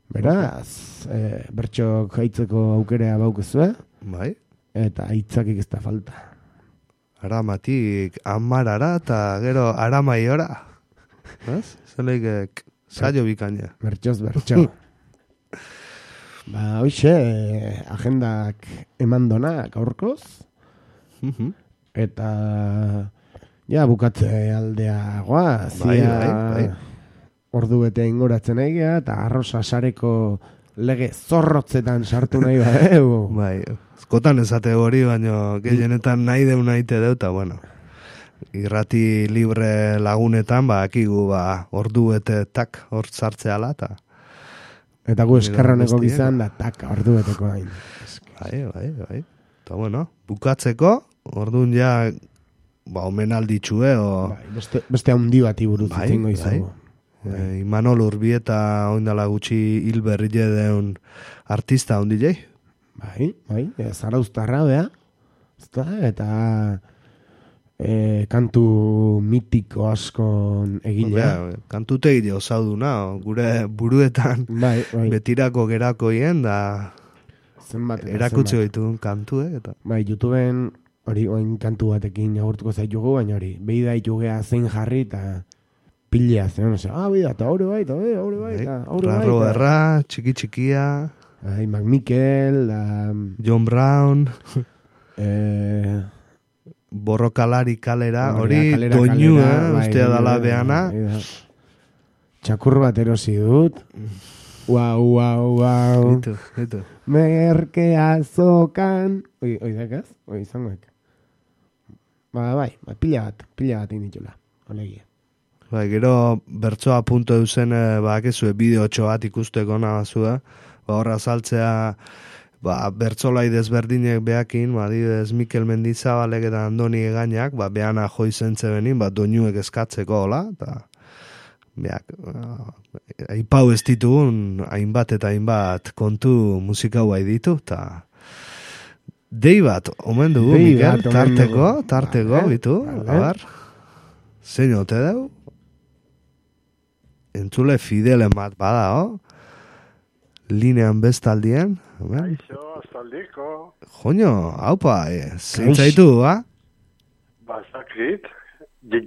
[SPEAKER 3] Beraz, bertxok haitzeko aukerea baukezue.
[SPEAKER 2] Bai.
[SPEAKER 3] Eta hitzakik ez da falta.
[SPEAKER 2] Aramatik amarara eta gero aramaiora. Ez? Zeleik saio bikaina.
[SPEAKER 3] Bertxoz bertxo. Hoxe, agendak emandonak aurkoz. Eta bukatze aldea goaz.
[SPEAKER 2] Bai.
[SPEAKER 3] Ordu bete ingoratzen egia, eta arroza sareko lege zorrotzetan sartu nahi badeu.
[SPEAKER 2] Bai, askotan esate hori, baina gehienetan nahi deu nahi te deu, eta bueno, irrati libre lagunetan, akigu ordu bete tak hor sartzeala,
[SPEAKER 3] eta gu eskarroneko gizan da tak ordu beteko hain.
[SPEAKER 2] Bai. Eta bueno, bukatzeko, orduan ja, omenalditxue,
[SPEAKER 3] beste handi bati buruz zingo izango.
[SPEAKER 2] Imanol Urbieta oindala gutxi hil berrile deun artista handi jai.
[SPEAKER 3] Bai, zarauztarra, eta kantu mitiko askon egilea.
[SPEAKER 2] Kantute egile osauduna, gure buruetan betirako gerakoien da erakutsi goitun kantu, eta...
[SPEAKER 3] Bai, YouTubeen hori oin kantu batekin agurtuko zaitugu, baina hori, behi daitugea zein jarri eta pilea zen, bida, eta haure bai,
[SPEAKER 2] Rarro erra, txiki-txikia,
[SPEAKER 3] Mac Mikel,
[SPEAKER 2] John Brown, Borrokalari kalera, hori doinu, ustea dala beana.
[SPEAKER 3] Txakur bat erosi dut. Wow.
[SPEAKER 2] Itu.
[SPEAKER 3] Merkea zokan. Oizakaz? Izangoek. Bai, pila bat inditula. Olegia.
[SPEAKER 2] Bai, gero bertsoa punto eusen bakezue bideotxo bat ikusteko nabazue. Horra saltzea bertzolai desberdinek beakin, adibidez Mikel Mendizabalek eta Andoni Egainak, beana joizentze benin, doinuek eskatzeko, hola, eta aipau ez ditugun, hainbat eta hainbat kontu musikau bai ditu, eta dei bat, omen dugu, Mikel, tarteko, bitu, abar, zein ote deu? entzule fidelen bat badao, linean bestaldien.
[SPEAKER 18] Aixo, astaldiko.
[SPEAKER 2] Joño, haupa, zintzaitu, ba?
[SPEAKER 18] Bazakit,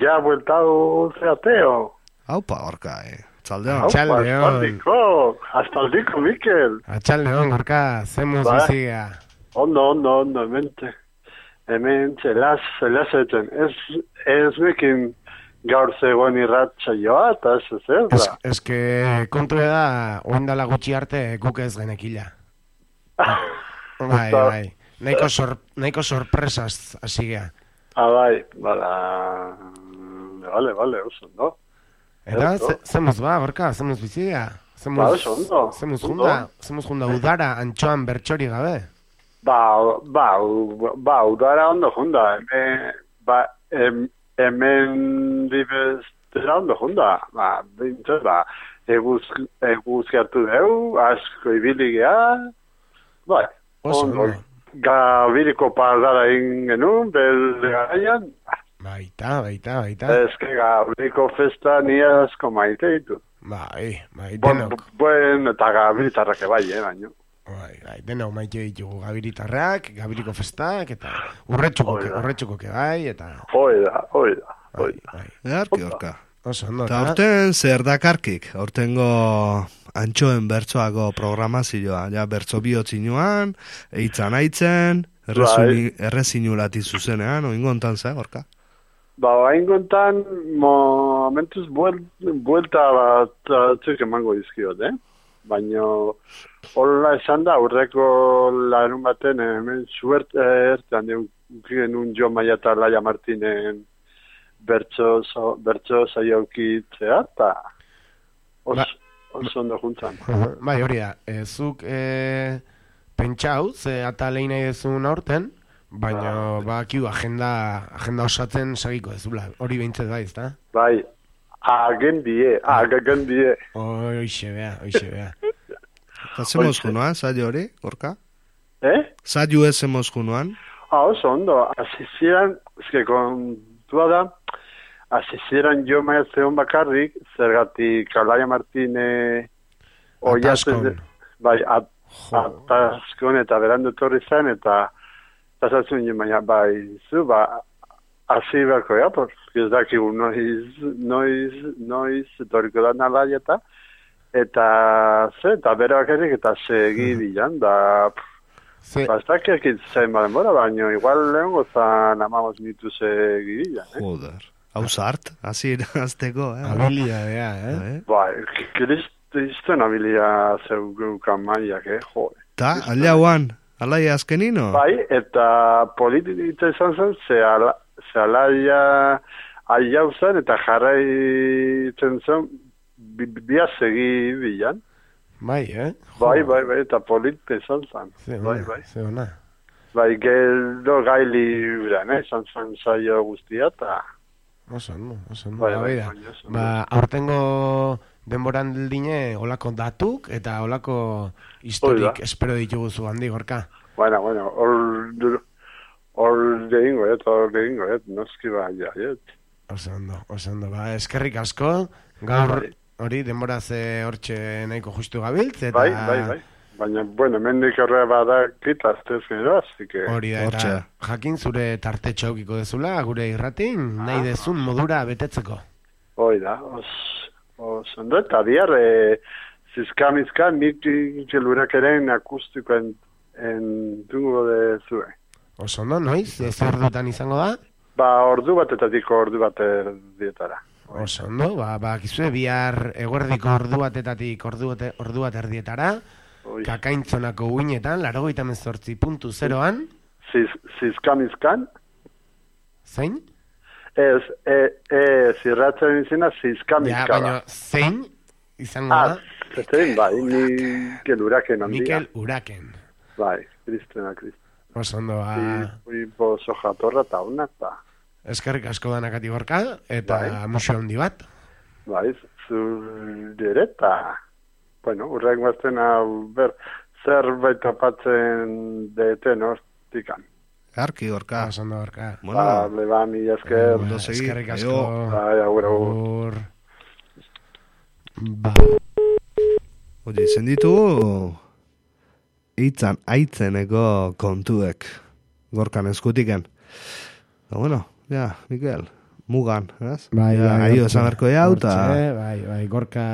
[SPEAKER 18] ja bueltau zeateo.
[SPEAKER 2] Haupa, Gorka, Txaldeon.
[SPEAKER 18] Astaldiko, Mikel.
[SPEAKER 3] Atxaldeon, Gorka, zemuz bizigea.
[SPEAKER 18] Ondo, mente. Hemen, elazeten. Ez mekin gaur zegoen irratxa joa, eta ez da.
[SPEAKER 3] Ez que kontu da, oindala gutxi arte guk ez genekila. Bai. Nahiko sorpresaz hasigea.
[SPEAKER 18] Bai, Vale, oso, no?
[SPEAKER 3] Eta, zemuz ba, Gorka, zemuz bizigea? Zemuz junda udara antxoan bertxori gabe?
[SPEAKER 18] Udara ondo junda. Hemen dibestera ondo junda. Eguz gertu deu, asko ibiligea. Bai, ondo. Gabiriko pardara egin genuen, belgaraian.
[SPEAKER 3] Baita.
[SPEAKER 18] Ez que Gabiriko festa ni asko maite ditu.
[SPEAKER 3] Bai, denok.
[SPEAKER 18] Eta Gabiritarrak bai, baino.
[SPEAKER 3] Bai, denok maite ditugu Gabiritarrak, Gabiriko festak, eta urretxukoke bai, eta...
[SPEAKER 18] Hoida.
[SPEAKER 2] Earki, Gorka.
[SPEAKER 3] Oso, ondo.
[SPEAKER 2] Eta aurten zer dakarkik, aurtengo antxoen bertsoako programazioa, ja, bertso bihotzinuan, eitzan aitzen, errezinulati zuzenean, oingontan ze, Gorka?
[SPEAKER 18] Oingontan, momentuz buelta bat txuk emango dizkiot, baina hola esan da, aurreko larun baten, hemen suerte ertean genuen Jo Maia eta Laia Martinen bertso saiaukitzea, eta oso ondo juntzan.
[SPEAKER 3] Bai, hori da, zuk pentsau, ze eta lehin nahi dezun aurten, baina bakiu agenda osatzen sagiko dezula, hori behintzet bai, ezta?
[SPEAKER 18] Bai, agendie.
[SPEAKER 3] Oixe bea.
[SPEAKER 2] Eta zemoz junoan, saio hori, Gorka? Saio ez zemoz junoan?
[SPEAKER 18] Oso ondo, azizieran, ezke kontua da, azizieran Jo Maia zeon bakarrik, zergatik Laia Martine
[SPEAKER 3] Ataskon.
[SPEAKER 18] Bai, Ataskon eta berandu torri zen, eta pasatzen Jo Maia, bai, zu, hasi beharko, ez dakigu noiz etorriko da Laia eta bere bakarrik eta segi bilan, bastakiak itzen baden bora, baina igual lehen gozan 15 minutu segi bilan,
[SPEAKER 2] Joder, hau zart, hasi azteko,
[SPEAKER 3] Habilidadea,
[SPEAKER 18] Bai, kriston habilia zeukan Maiak, jode.
[SPEAKER 2] Ta, aliauan, alaia azkenino?
[SPEAKER 18] Bai, eta politika izan zen, ze alaia aiau zen, eta jarraitzen zen, bia segi bilan.
[SPEAKER 3] Bai,
[SPEAKER 18] Bai, eta politika izan zen.
[SPEAKER 3] Ze ona.
[SPEAKER 18] Bai, gero gaili uran, izan zen saio guztia, eta...
[SPEAKER 3] Oso ondo. Aurtengo denboran dine olako datuk eta olako historik espero ditugu zu handi, Gorka.
[SPEAKER 18] Bueno, hor degingo, noski baina,
[SPEAKER 3] Oso ondo, eskerrik asko, gaur hori denboraz hortxe nahiko justu gabiltz, eta...
[SPEAKER 18] Bai, baina, mendik horre bada kitaztez gero, así que...
[SPEAKER 3] Hori da, eta jakin zure tartetxo aukiko dezula, gure irratin, nahi dezun modura betetzeko.
[SPEAKER 18] Hori da, ondo, eta bihar, zizkamizka, nik lurak eren akustikoen entungo dezue.
[SPEAKER 3] Oso ondo, noiz? Ez ordutan izango da?
[SPEAKER 18] Ordu batetatik ordu bat erdietara.
[SPEAKER 3] Oso ondo, kizue bihar eguerdiko ordu batetatik ordu bat erdietara, Kakaintzonako uinetan, 98.0an.
[SPEAKER 18] Zizkamizkan?
[SPEAKER 3] Zein?
[SPEAKER 18] Zirratzen izena zizkamizka.
[SPEAKER 3] Baina, zein izango da?
[SPEAKER 18] Zein, bai, Mikel Uraken handia.
[SPEAKER 3] Mikel Uraken.
[SPEAKER 18] Bai, Kristena.
[SPEAKER 3] Oso ondo,
[SPEAKER 18] Oso jatorra eta hona, eta...
[SPEAKER 3] Eskerrik asko danakati Gorka, eta musio handi bat.
[SPEAKER 18] Bai, zure eta... Bueno, urreak mazten zerbait tapatzen deten hortikan.
[SPEAKER 2] Arki, Gorka.
[SPEAKER 3] Oso ondo, Gorka.
[SPEAKER 18] Mila esker.
[SPEAKER 3] Eskerrik asko.
[SPEAKER 18] Agur.
[SPEAKER 3] Ba.
[SPEAKER 2] Oye, izen ditugu hitzan aitzeneko kontuek gorkan eskutiken. Bueno, ja, Mikel, mugan, ez?
[SPEAKER 3] Bai,
[SPEAKER 2] aio esan berko jau, eta...
[SPEAKER 3] Bai, gorka...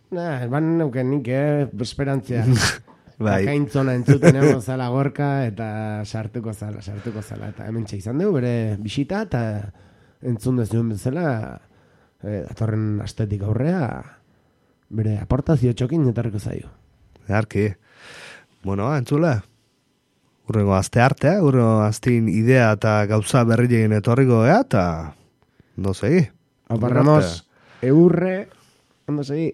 [SPEAKER 3] Ban neuken nik, esperantzia.
[SPEAKER 2] Bai.
[SPEAKER 3] Kaintzona entzuten egon zala gorka, eta sartuko zala. Eta hemen izan dugu, bere bisita, eta entzun dezuen bezala, datorren astetik aurrea, bere aportazio txokin etarriko zaio.
[SPEAKER 2] Earki. Bueno, entzule. Urrengo azte arte, urrengo aztin idea eta gauza berrilein etorriko eta... Ondo segi.
[SPEAKER 3] Aparramos, eurre, ondo segi.